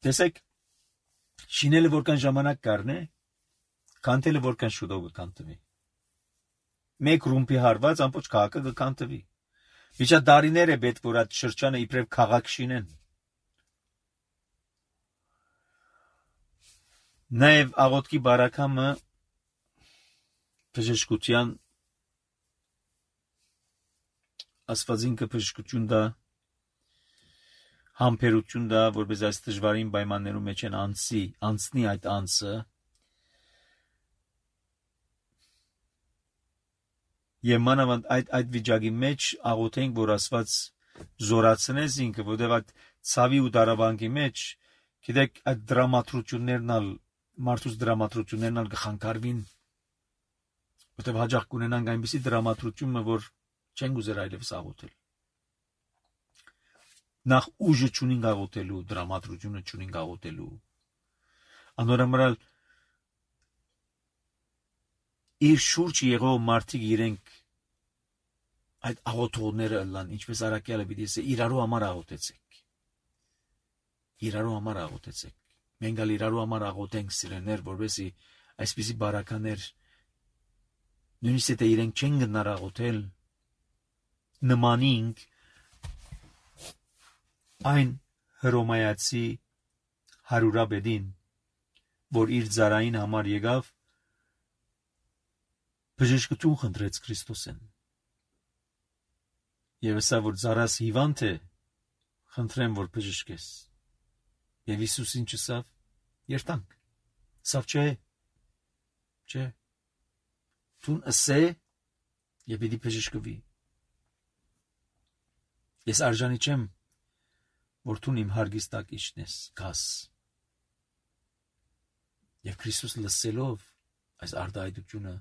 Տեսեք, շինելը որքան ժամանակ կառնե, կանտելը որքան շուտով կկանտվի։ մեկ ռումբի հարված ամբողջ քաղաքը կքանդվի։ Միջադարիներ է պետք որ այդ շրջանը իբրև քաղաք շինեն։ Նաև աղոթքի բարակամը բժշկության Աստվածին կբժշկություն դա համբերություն դա որպես այս դժվարին պայմաններում մեջ են անցի անցնի այդ անցը եւ մանավանդ այդ այդ վիճակի մեջ աղոթենք որ Աստված զորացնես ինքը որտեղ այդ ցավի ու դարաբանկի մեջ գիտեք այդ դրամատրություններն ալ մարդուս դրամատրություններն ալ կխանգարվին որտեղ հաջող կունենանք այնպիսի դրամատրությունը որ չեն գուզեր այլևս աղոթել նախ ուժը չունին աղոթելու դրամատրությունը չունին աղոթելու անորամալ իր շուրջ եղող մարդիկ իրենք այդ աղոթողները լան ինչպես արաքյալը պիտի ասե իրարու համար աղոթեցեք իրարու համար աղոթեցեք մենք ալ իրարու համար աղոթենք սիրեներ որովհետեւ այսպիսի բարականեր նույնիսկ եթե իրենք չեն գնար աղոթել նմանինք այն հռոմայացի հարուրաբեդին որ իր ծառային համար եկավ բժշկություն խնդրեց Քրիստոսեն եւ ասա որ ծառաս հիվանդ է խնդրեմ որ բժշկես եւ Հիսուսին չսավ երտանք սավ չէ չէ Տուն ասե եւ պիտի բժշկվի ես արժանի չեմ որ տուն իմ հարգիս տակ իջնես գաս եւ Քրիստոս լսելով այս արդայությունը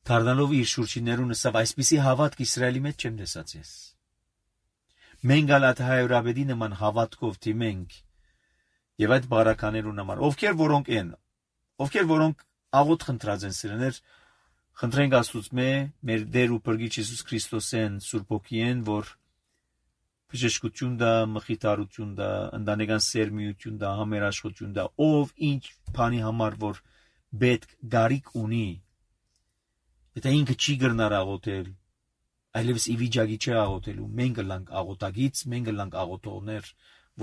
դառնալով իր շուրջիներուն ասավ այսպիսի հավատք Իսրայելի մեջ չեմ տեսած ես մենք ալատ հայրաբեդի նման հավատքով դիմենք եւ այդ բարականերուն համար ովքեր որոնք են ովքեր որոնք աղոթ խնդրած են սիրեներ խնդրենք Աստծուց մեր Տեր ու Փրկիչ Հիսուս Քրիստոսեն Սուրբ Հոգիեն որ բժշկություն դա մխիթարություն դա ընտանեկան սերմիություն դա համերաշխություն դա ով ինչ բանի համար որ պետք գարիկ ունի եթե ինքը չի գրնար աղոթել այլևս ի վիճակի չէ աղոթելու մենք լանք աղոթագից մենք լանք աղոթողներ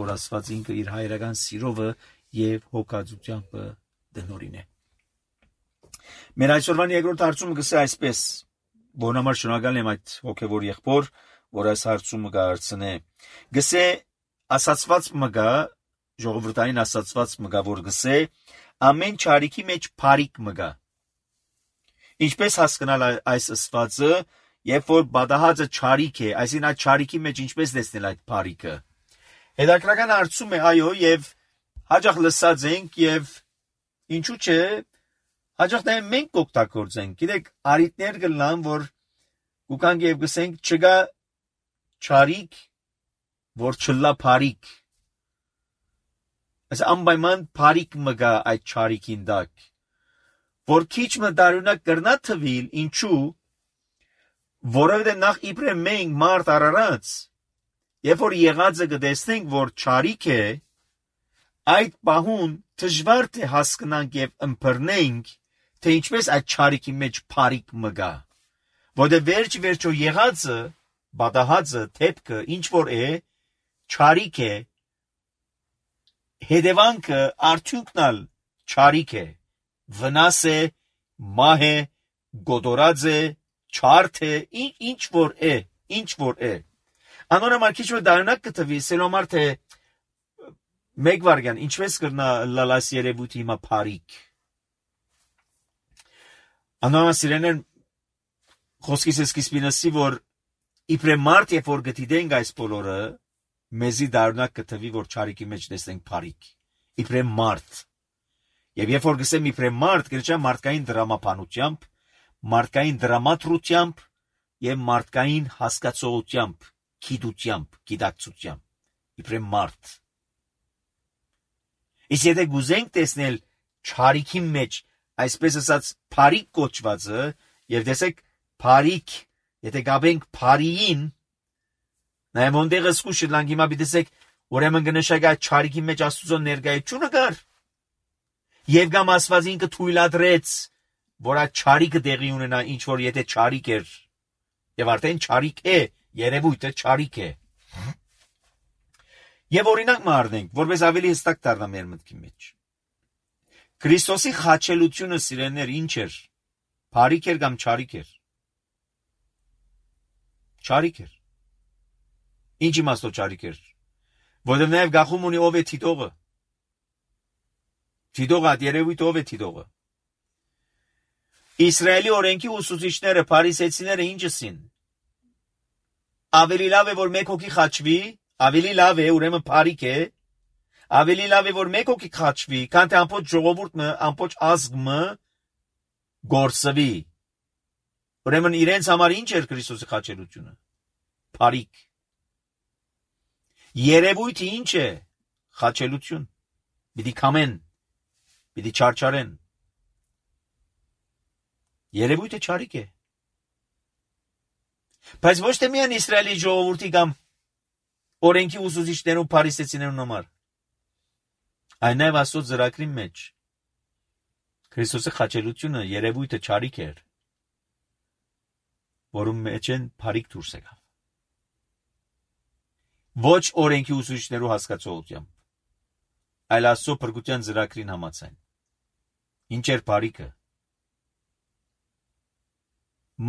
որ Աստված ինքը իր հայրական սիրովը եւ հոգածությամբ դնորին է մեր այսօրվան երկրորդ հարցումը գսե այսպես բոնամար շնորհակալ եմ այդ հոգեվոր եղբոր որ այս հարցումը կհարցնե գսե ասացված մգա ժողովրդային ասացված մգա որ գսե ամեն չարիքի մեջ փարիկ մգա ինչպես հասկանալ այս ասվածը երբ որ բադահածը չարիք է այսին այդ չարիքի մեջ ինչպես տեսնել այդ փարիկը հետաքրական հարցում է այո եւ հաջող լսած ենք եւ ինչու՞ չէ հաջող նաև մենք կօգտագործենք գիտեք արիտներ կլան որ կուքանք եւ գսենք չգա չարիք որ չլա փարիկ այս անպայման փարիկ մգա այդ չարիքին դակ որ քիչ մտարունակ կրնա թվիլ ինչու որովհետեւ նախ իբրե մենք մարդ արարած երբ որ եղածը կտեսնենք որ չարիք է այդ բահուն դժվար թե հասկանանք եւ ըմբռնենք թե ինչպես այդ չարիքի մեջ փարիկ մգա որովհետեւ վերջ վերջո եղածը բադահածը թեփքը ինչ որ է չարիք է հետևանքը արդյունքնալ չարիք է վնաս է մահ է գոդորած է չարթ է ինչ որ է ինչ որ է անորոմալ քիչ որ դառնակ կտվի սելոմար թե մեկ վարգան ինչպես կրնա լալաս երևույթի հիմա փարիկ անորոմալ սիրեներ խոսքիս սկիզբինասի որ իբրե մարդ երբ որ գտիդենք այս բոլորը մեզի դառնակ կտվի որ չարիքի մեջ տեսնենք փարիկ իբրե մարդ եւ երբ որ գսեմ իբրե մարդ գրճա մարդկային դրամապանությամբ մարդկային դրամատրությամբ եւ մարդկային հասկացողությամբ գիտությամբ գիտակցությամբ իբրե մարդ իսկ եթե գուզենք տեսնել չարիքի մեջ այսպես ասած փարիկ կոչվածը եւ տեսեք փարիկ եթե գաբենք փարիին նայեմ ոնդեղը սկուշը լանգ հիմա բիտեսեք ուրեմն կնշակա չարիքի մեջ Աստուծո ներկայությունը կար եւ գամ Աստված ինքը թույլատրեց որ այդ չարիքը տեղի ունենա, ինչ որ եթե չարիք էր, եւ արդեն չարիք է, երևույթը չարիք է։ Եվ օրինակ մարտենք, որպես ավելի հստակ դառնա մեր մտքի մեջ։ Քրիստոսի խաչելությունը սիրելիներ ինչ էր։ Փարիք էր կամ չարիք էր։ Չարիք էր։ Ինչ իմաստով չարիք էր։ Որովհետև նաև գախում ունի ով է Թիտողը։ Թիտողը այդ երևույթ ով է Թիտողը։ Իսրայելի օրենքի ուսուցիչները, փարիսեցիները ինչ ասին։ Ավելի լավ է որ մեկ հոգի խաչվի, ավելի լավ է ուրեմն փարիք է, ավելի լավ է որ մեկ հոգի խաչվի, քան թե ամբողջ ժողովուրդը, ամբողջ ազգը գործվի։ Ուրեմն իրենց համար ինչ էր Քրիստոսի խաչելությունը։ Փարիք։ Երևույթը ինչ է։ Խաչելություն։ Պիտի կամեն, պիտի չարչարեն։ Երևույթը չարիք է։ Բայց ոչ թե միայն Իսրայելի ժողովրդի կամ օրենքի ուսուցիչներու փարիսեցիներուն համար։ Այն նաև Աստծո ծրագրի մեջ Քրիստոսի խաչելությունը երևույթը չարիք էր, որում մեջ են փարիք դուրս եկավ։ Ոչ օրենքի ուսուցիչներու հասկացողությամբ, այլ Աստծո փրկության ծրագրին համաձայն։ Ինչ էր փարիքը։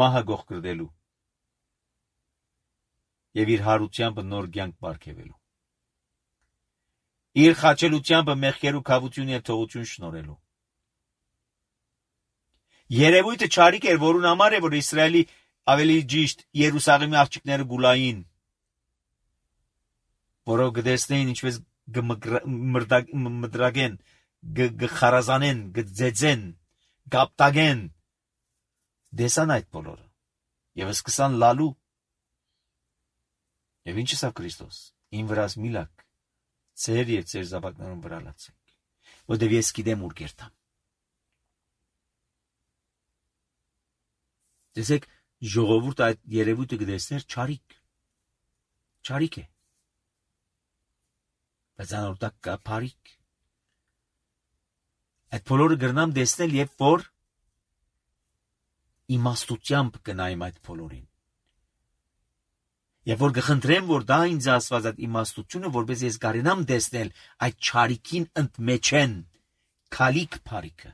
Մահը գողկրդելու եւ իր հարությամբ նոր կյանք բարգեւելու, իր խաչելությամբ մեղքերու քավություն եւ թողություն շնորհելու։ Երևույթը չարիք էր, որուն համար է որ Իսրայելի ավելի ճիշտ Երուսաղեմի աղջիկները գուլային, որով գտեսնեին ինչպես մրդագեն, գխարազանեն, գձեծեն, գապտագեն, դեսան այդ բոլորը եւ սկսան լալու։ Եվ ինչ ասավ Քրիստոս։ Իմ վրաս միլակ, ծեր եւ ծեր զավակներուն վրա լացեք, որտեւ ես գիտեմ ուր կերտամ։ Տեսեք, ժողովուրդը այդ երևույթը գտեսներ չարիք։ Չարիք է։ Բայց անորտակ կա փարիք։ Այդ բոլորը գրնամ տեսնել եւ որ իմաստությամբ կնայեմ այդ բոլորին։ Եվ որ կխնդրեմ, որ դա ինձ ասված այդ իմաստությունը, որպես ես կարենամ տեսնել այդ չարիքին ընդմեջեն քալիք փարիքը։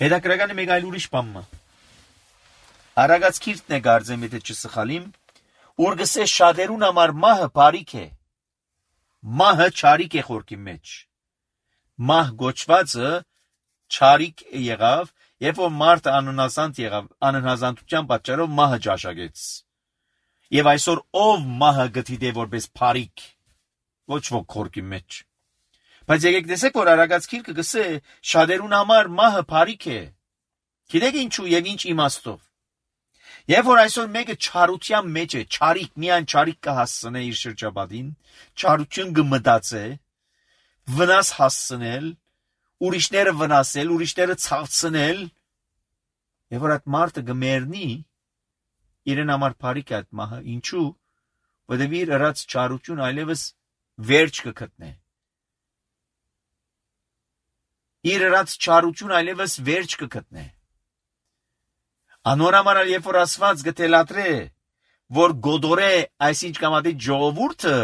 Հետաքրքրական է մեկ այլ ուրիշ բան։ Արագած քիրտն է գարձեմ, եթե չսխալիմ, ուր գսե շատերուն համար մահը փարիք է։ Մահը չարիք է խորքի մեջ։ Մահ գոչվածը չարիք եղավ, երբ որ մարդը անհնազանդ եղավ, անհնազանդության պատճառով մահը ճաշակեց։ Եվ այսօր ով մահը գտիդե որպես փարիք, ոչ ոք խորքի մեջ։ Բայց եկեք տեսեք, որ արագած քիրքը գսե շատերուն համար մահը փարիք է։ Գիտեք ինչու եւ ինչ իմաստով։ Եվ որ այսօր մեկը չարության մեջ է, չարիք, միայն չարիք կհասցնե իր շրջապատին, չարություն կմտածե, վնաս հասցնել, ուրիշները վնասել, ուրիշները ցավցնել, եւ որ այդ մարդը գմերնի իրեն համար փարիք է այդ մահը, ինչու, որովհետեւ իր ըրած չարություն այլևս վերջ կգտնե։ Իր ըրած չարություն այլևս վերջ կգտնե։ Անորամարալ երբ որ ասված գտելատրե, որ գոդորե այսինչ կամ այդ ժողովուրդը,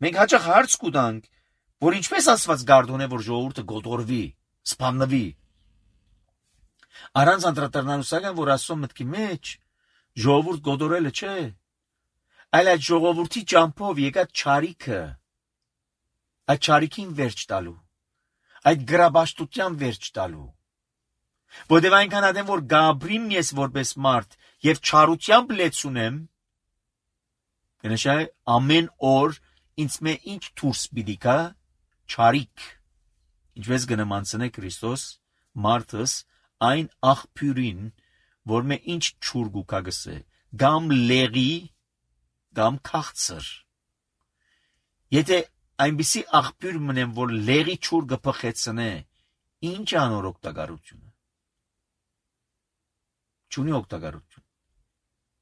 մենք հաճախ հարց կուտանք, որ ինչպես ասված գարդոն է, որ ժողովուրդը գոդորվի, սպանվի։ Առանց անդրադառնալուսական, որ Աստծո մտքի մեջ ժողովուրդ գոդորելը չէ, այլ այդ ժողովրդի ճամփով եկած չարիքը, այդ չարիքին վերջ տալու, այդ գրաբաշտության վերջ տալու։ Որտեւ այնքան ադեմ որ գաբրիմ ես որպես մարդ եւ չարությամբ լեցունեմ, կնշայ ամեն օր ինձ մե ինչ դուրս պիտի գա չարիք, ինչպես գնամանցնե Քրիստոս մարդս այն աղբյուրին, որ մե ինչ չուրգու կագսե, գամ լեղի, գամ քաղցր։ Եթե այնպիսի աղբյուր մնեմ, որ լեղի չուրգը փխեցնե, ինչ անոր օգտակարությունը։ Չունի օգտակարություն։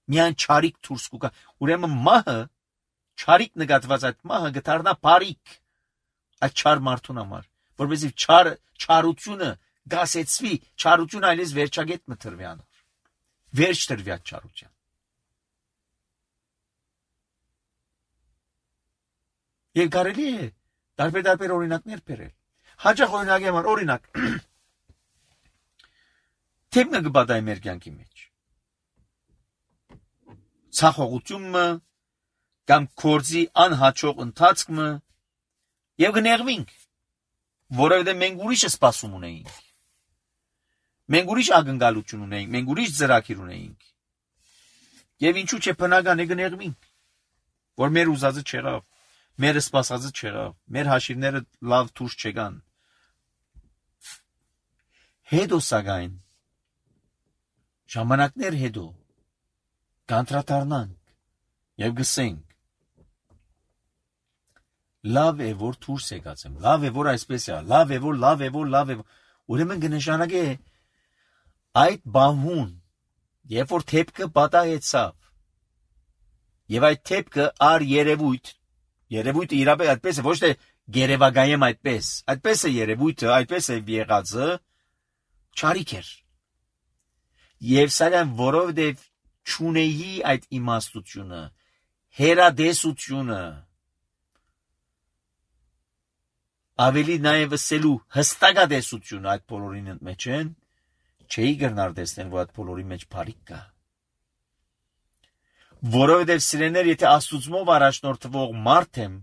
Միայն չարիք դուրս կուկա, ուրեմն մահը, չարիք նկատված այդ մահը գտարնա բարիք այդ չար մարդուն համար, որովհետև չար չարությունը գասեցվի չարություն այլես վերջագետ մտրվյան վերջ տրվյա չարության եւ կարելի է տարբեր-տարբեր օրինակներ բերել հաջող օրինակի համար օրինակ թեմը գբադայ մեր կյանքի մեջ ցախողությունը կամ կորձի անհաջող ընթացքը եւ գներվինք որովհետեւ մենք ուրիշը սպասում ունեինք մենք ուրիշ ակնկալություն ունեինք մենք ուրիշ ծրագիր ունեինք եւ ինչու՞ չէ բնական է գներվինք որ մեր ուզածը չեղավ մեր սպասածը չեղավ մեր հաշիվները լավ դուրս չեկան հետո սակայն ժամանակներ հետո կանտրատարնանք եւ գսենք լավ է որ դուրս եկածեմ լավ է որ այսպես է լավ է որ լավ է որ լավ է ուրեմն կնշանակե այդ բանհուն երբ որ թեփքը պատահեցավ եւ այդ թեփքը ար երևույթ երևույթը իրապես այդպես է ոչ թե գերեվագայեմ այդպես այդպես է երևույթը այդպես է եղածը չարիք էր եւ սակայն որովհետեւ չունեի այդ իմաստությունը հերադեսությունը ավելի նաև սելու հստակադեսությունը այդ բոլորին մեջ են չէի գնար տեսնել որ այդ բոլորի մեջ բարիք կա որովհետև սիրեներ եթե աստուծմով առաջնորդվող մարդ եմ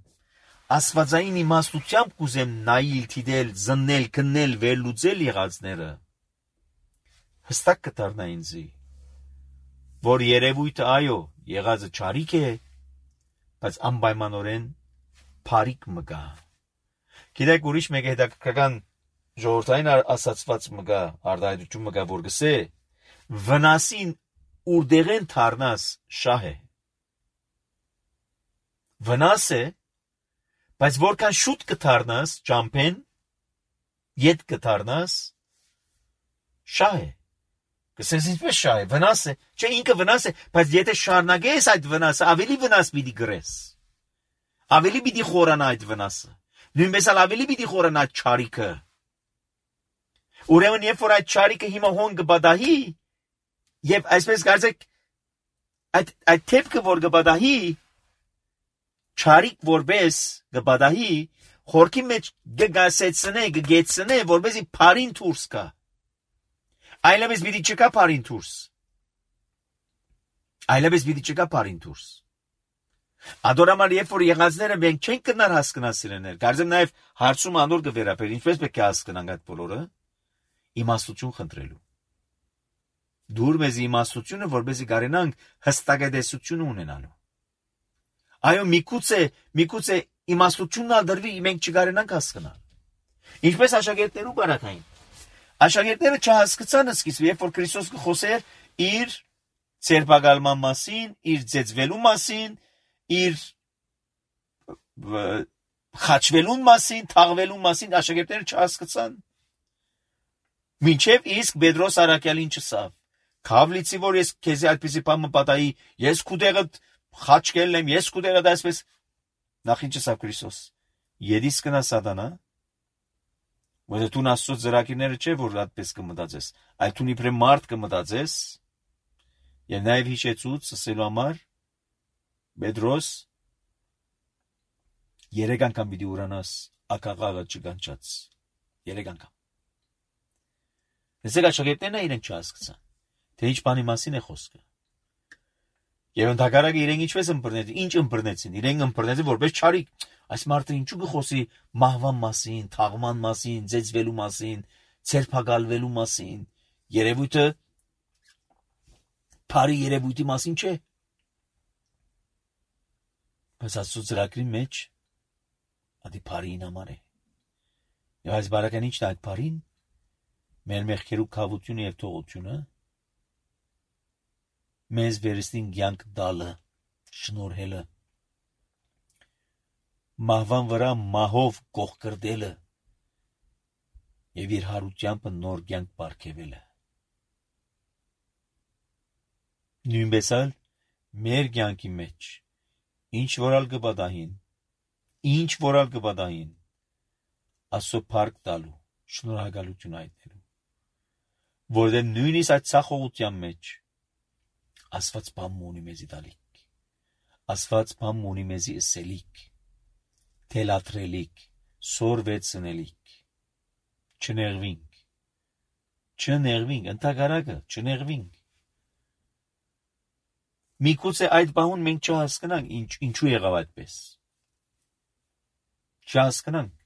աստվածային իմաստությամբ կուզեմ նայել թիդել զննել քննել վերլուծել եղածները հստակ կդառնա ինձի որ երևույթը այո եղածը չարիք է բայց անպայմանորեն բարիք մգա գիտեք ուրիշ մեկ հետաքրքրական ժողովրդային ասացված մգա արտահայտություն մգա որ գսե վնասին ուրդեղեն թարնաս շահ է վնաս է բայց որքան շուտ կթարնաս ճամփեն ետ կթարնաս շահ է գսես ինչպես շահ է վնաս է չէ ինքը վնաս է բայց եթե շարունակես այդ վնասը ավելի վնաս պիտի գրես ավելի պիտի խորանա այդ վնասը նույնպես ավելի պիտի խորանա չարիքը ուրեմն երբ որ այդ չարիքը հիմա հոն կբադահի եւ այսպես կարծեք այդ այդ թեփքը որ կբադահի չարիք որպես կբադահի խորքի մեջ գգասեցնե գգեցնե որպեսի բարին դուրս գա այլևս պիտի չկա բարին դուրս այլևս պիտի չկա բարին դուրս Ադորամար երբ որ եղածները մենք չենք կնար հասկանալ սիրեներ կարծեմ նաև հարցում անոր կվերապեր ինչպես պետք է հասկանանք այդ բոլորը իմաստություն խնդրելու դուր մեզ իմաստությունը որպեսզի կարենանք հստակադեսություն ունենալու այո միգուցե միգուցե իմաստությունն ալ դրվի մենք չկարենանք հասկանալ ինչպես աշակերտներու բարակային աշակերտները չհասկացան սկիզբը երբ որ Քրիստոս խոսեր իր ցերպակալման մասին իր ծեծվելու մասին իր խաչվելուն մասին թաղվելուն մասին աշակերտները չհասկացան մինչև իսկ Պետրոս Արաքյալին չսավ Քավլիցի որ ես քեզի այդպեսի բան մպատայի ես քուդեղը խաչկել եմ ես քուդեղը դասպես նախ ինչ ասավ Քրիստոս Եդիս կնա սատանա որ դու նասոց ծրագիրները չէ որ այդպես կմտածես այլ դու իբրե մարդ կմտածես եւ նաեւ հիշեցուց ասելու համար Պետրոս երեք անգամ պիտի ուրանաս ակաղաղը չգանչած երեք անգամ Ես աշակերտներն իրենք չհասկացան թե ինչ բանի մասին է խոսքը եւ ընդհակառակը իրենք ինչպես ըմբռնեցին ինչ ըմբռնեցին իրենք ըմբռնեցին որպես չարիք այս մարդը ինչու կխոսի մահվան մասին թաղման մասին ձեծվելու մասին ցերփակալվելու մասին երևույթը բարի երևույթի մասին չէ բայց ասու ծրագրի մեջ ադի բարին համար է եւ այս բարական ինչն է այդ բարին մեր մեղքերու քավությունը եւ թողությունը մեզ վերստին կյանք դալը շնորհելը մահվան վրա մահով կողքրդելը եւ իր հարությամբ նոր կյանք բարգեւելը նույնպես էլ մեր կյանքի մեջ ինչ որալ կբադահին ինչ որալ կբադահին ասո փառք տալու շնորհակալություն այդելու որովհետև նույնիսկ այդ ցախողության մեջ Աստված բան ունի մեզի տալիք, Աստված բան ունի մեզի ըսելիք, թելաթրելիք, սորվեցնելիք, չներվինք, չներվինք, ընդհակառակը չներվինք։ Միգուցե այդ բանուն մենք չհասկանանք, ինչ, ինչու եղավ այդպես։ Չհասկանանք։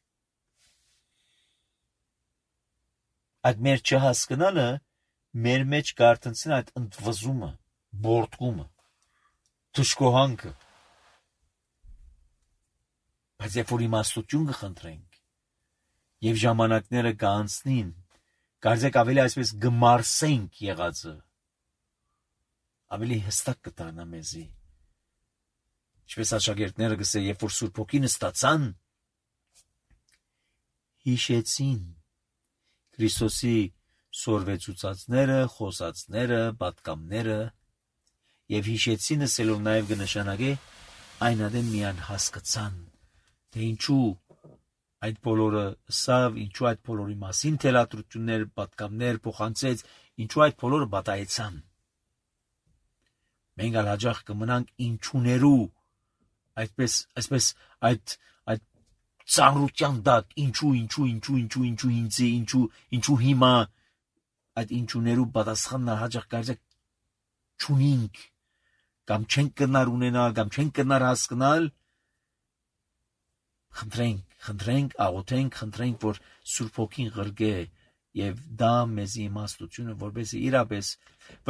Այդ մեր չհասկանալը մեր մեջ կարտնցին այդ ընդվզումը, բորտկումը, թշկոհանքը։ Բայց երբ որ իմաստություն կխնդրենք եւ ժամանակները կանցնին, կարծեք ավելի այսպես գմարսենք եղածը, ավելի հստակ կդառնա մեզի։ Ինչպես աշակերտները գսե, երբ որ Սուրբ Հոգին ստացան, հիշեցին Քրիստոսի սորվեցուցածները, խոսածները, պատկամները եւ հիշեցին ասելով նաեւ կնշանակե այն adem միան հասկացան, թե ինչու այդ բոլորը սավ, ինչու այդ բոլորի մասին թելադրություններ, պատկամներ փոխանցեց, ինչու այդ բոլորը բատայեցան։ Մենք ալ հաջող կմնանք ինչուներու, այդպես, այսպես այդ այդ ծանրության դակ, ինչու, ինչու, ինչու, ինչու, ինչու ինձ, ինչու, ինչու հիմա այդ ինչուներու պատասխանն հաջող կարծեք չունինք, կամ չենք կնար ունենալ, կամ չենք կնար հասկանալ, խնդրենք, խնդրենք, աղոթենք, խնդրենք, որ Սուրբ Հոգին ղրգե եւ դա մեզի իմաստությունը, որպեսզի իրապես,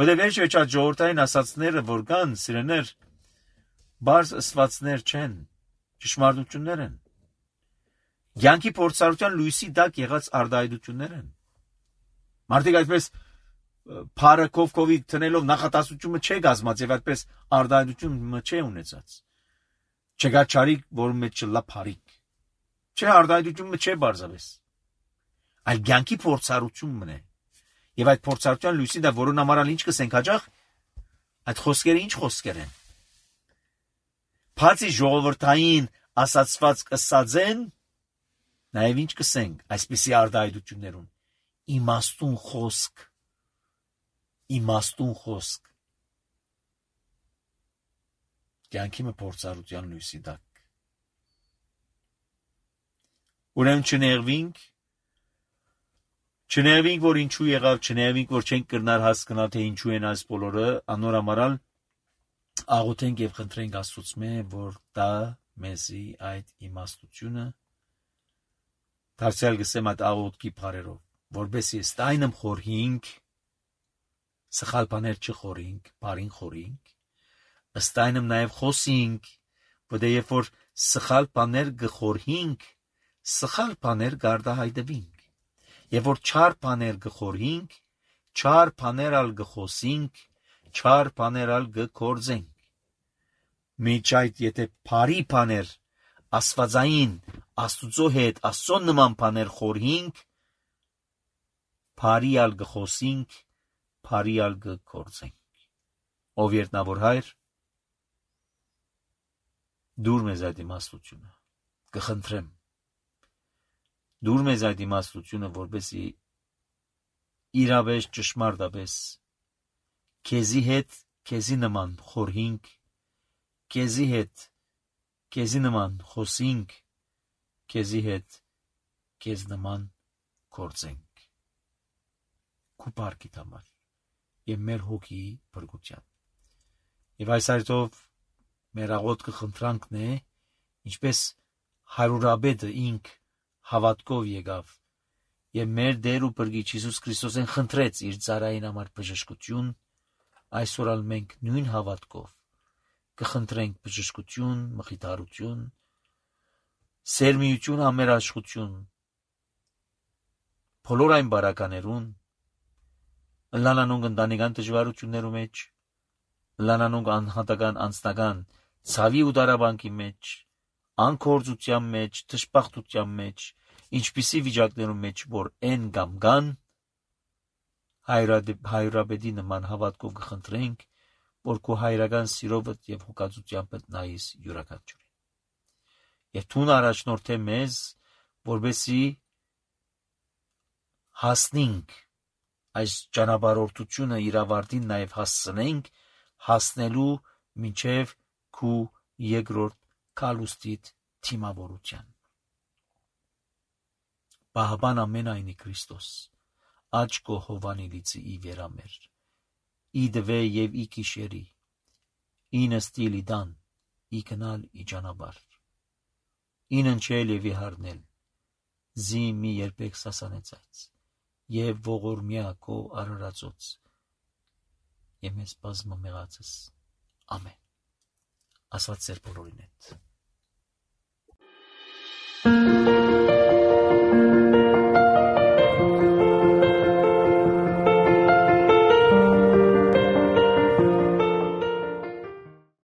որտեղ վերջ այդ ժողովրդային ասածները, որ կան, սիրեներ, բարձ ըստվածներ չեն, ճշմարտություններ են։ Յանքի փորձառության լույսի տակ եղած արդայդություններ են։ Մարդիկ այդպես փարը կովկովի տնելով նախատասությունը չէ գազմած եւ այդպես արդայդությունը չէ ունեցած։ Չկա ճարիք, որ մեջ չլա փարիկ։ Չէ արդայդությունը չէ բարձավես։ Այլ յանքի փորձառությունն է։ Եվ այդ փորձառության լույսի դա որոնց համար ինչ կսենք հաջող, այդ խոսքերը ինչ խոսքեր են։ Բացի ժողովրդային ասացված կսածեն, նաև ինչ կսենք այսպիսի արդայդություններուն, իմաստուն խոսք, իմաստուն խոսք, կյանքի մը փորձառության լույսի տակ։ Ուրեմն չներվինք, չներվինք, որ ինչու եղավ, չներվինք, որ չենք կրնար հասկանալ, թե ինչու են այս բոլորը, անորամարալ աղոթենք եւ խնդրենք Աստծո, որ դա մեզի այդ իմաստությունը դարձյալ գսեմ այդ աղոթքի բարերով, որբեսի ստայնմ խորհինք, սխալ բաներ չխորհինք, բարին խորհինք, ստայնմ նաեւ խոսինք, որտեղ երբ որ սխալ բաներ գխորհինք, սխալ բաներ գարդահայտվինք, եւ որ չար բաներ գխորհինք, չար բաներ ալ գխոսինք, չար բաներ ալ գկործենք։ Միջ այդ եթե բարի բաներ աստվածային Աստուծո հետ Աստծո նման բաներ խորհինք, բարի ալ գխոսինք, բարի ալ գկործենք։ Ով երտնավոր հայր, դուր մեզ այդ իմաստությունը, կխնդրեմ, դուր մեզ այդ իմաստությունը, որպեսզի իրավես ճշմարտապես քեզի հետ քեզի նման խորհինք, քեզի հետ քեզի նման խոսինք, քեզի հետ քեզ նման կործենք։ Քու բարքի համար եւ մեր հոգի բրգության։ Եվ այս այդով մեր աղոթքը խնդրանքն է, ինչպես հարյուրաբեդը ինք հավատքով եկավ եւ մեր Տեր ու Փրկիչ Հիսուս Քրիստոսեն խնդրեց իր ծառային համար բժշկություն, այսօր ալ մենք նույն հավատքով կխնդրենք բժշկություն, մխիթարություն, սերմիություն, ամերաշխություն, բոլոր այն բարականերուն, լանանոնք ընտանեկան դժվարություններու մեջ, լանանոնք անհատական անձնական ցավի ու դարաբանկի մեջ, անկործության մեջ, դժբախտության մեջ, ինչպիսի վիճակներում մեջ որ են կամ կան, հայրաբեդի նման հավատքով կխնդրենք, որ քո հայրական սիրովդ եւ հոգացությամբ նայես յուրաքանչյուրին։ Եվ թուն առաջնորդե մեզ, որբեսի հասնենք այս ճանապարհորդությունը իր ավարտին նաև հասցնենք, հասնելու մինչև քու երկրորդ կալուստիդ թիմավորության։ Պահապան ամենայնի Քրիստոս, աչ կո հովանիլիցի ի վերամեր, ի դվե և ի կիշերի, ինը ստիլ ի դան, ի կնալ ի ճանապար, ինը ընչել և ի հարնել, զի մի երբեք սասանեցայց, և ողորմյա քո արարածոց, և մեզ բազմամեղացս, ամեն, ասված ձեր բոլորին հետ։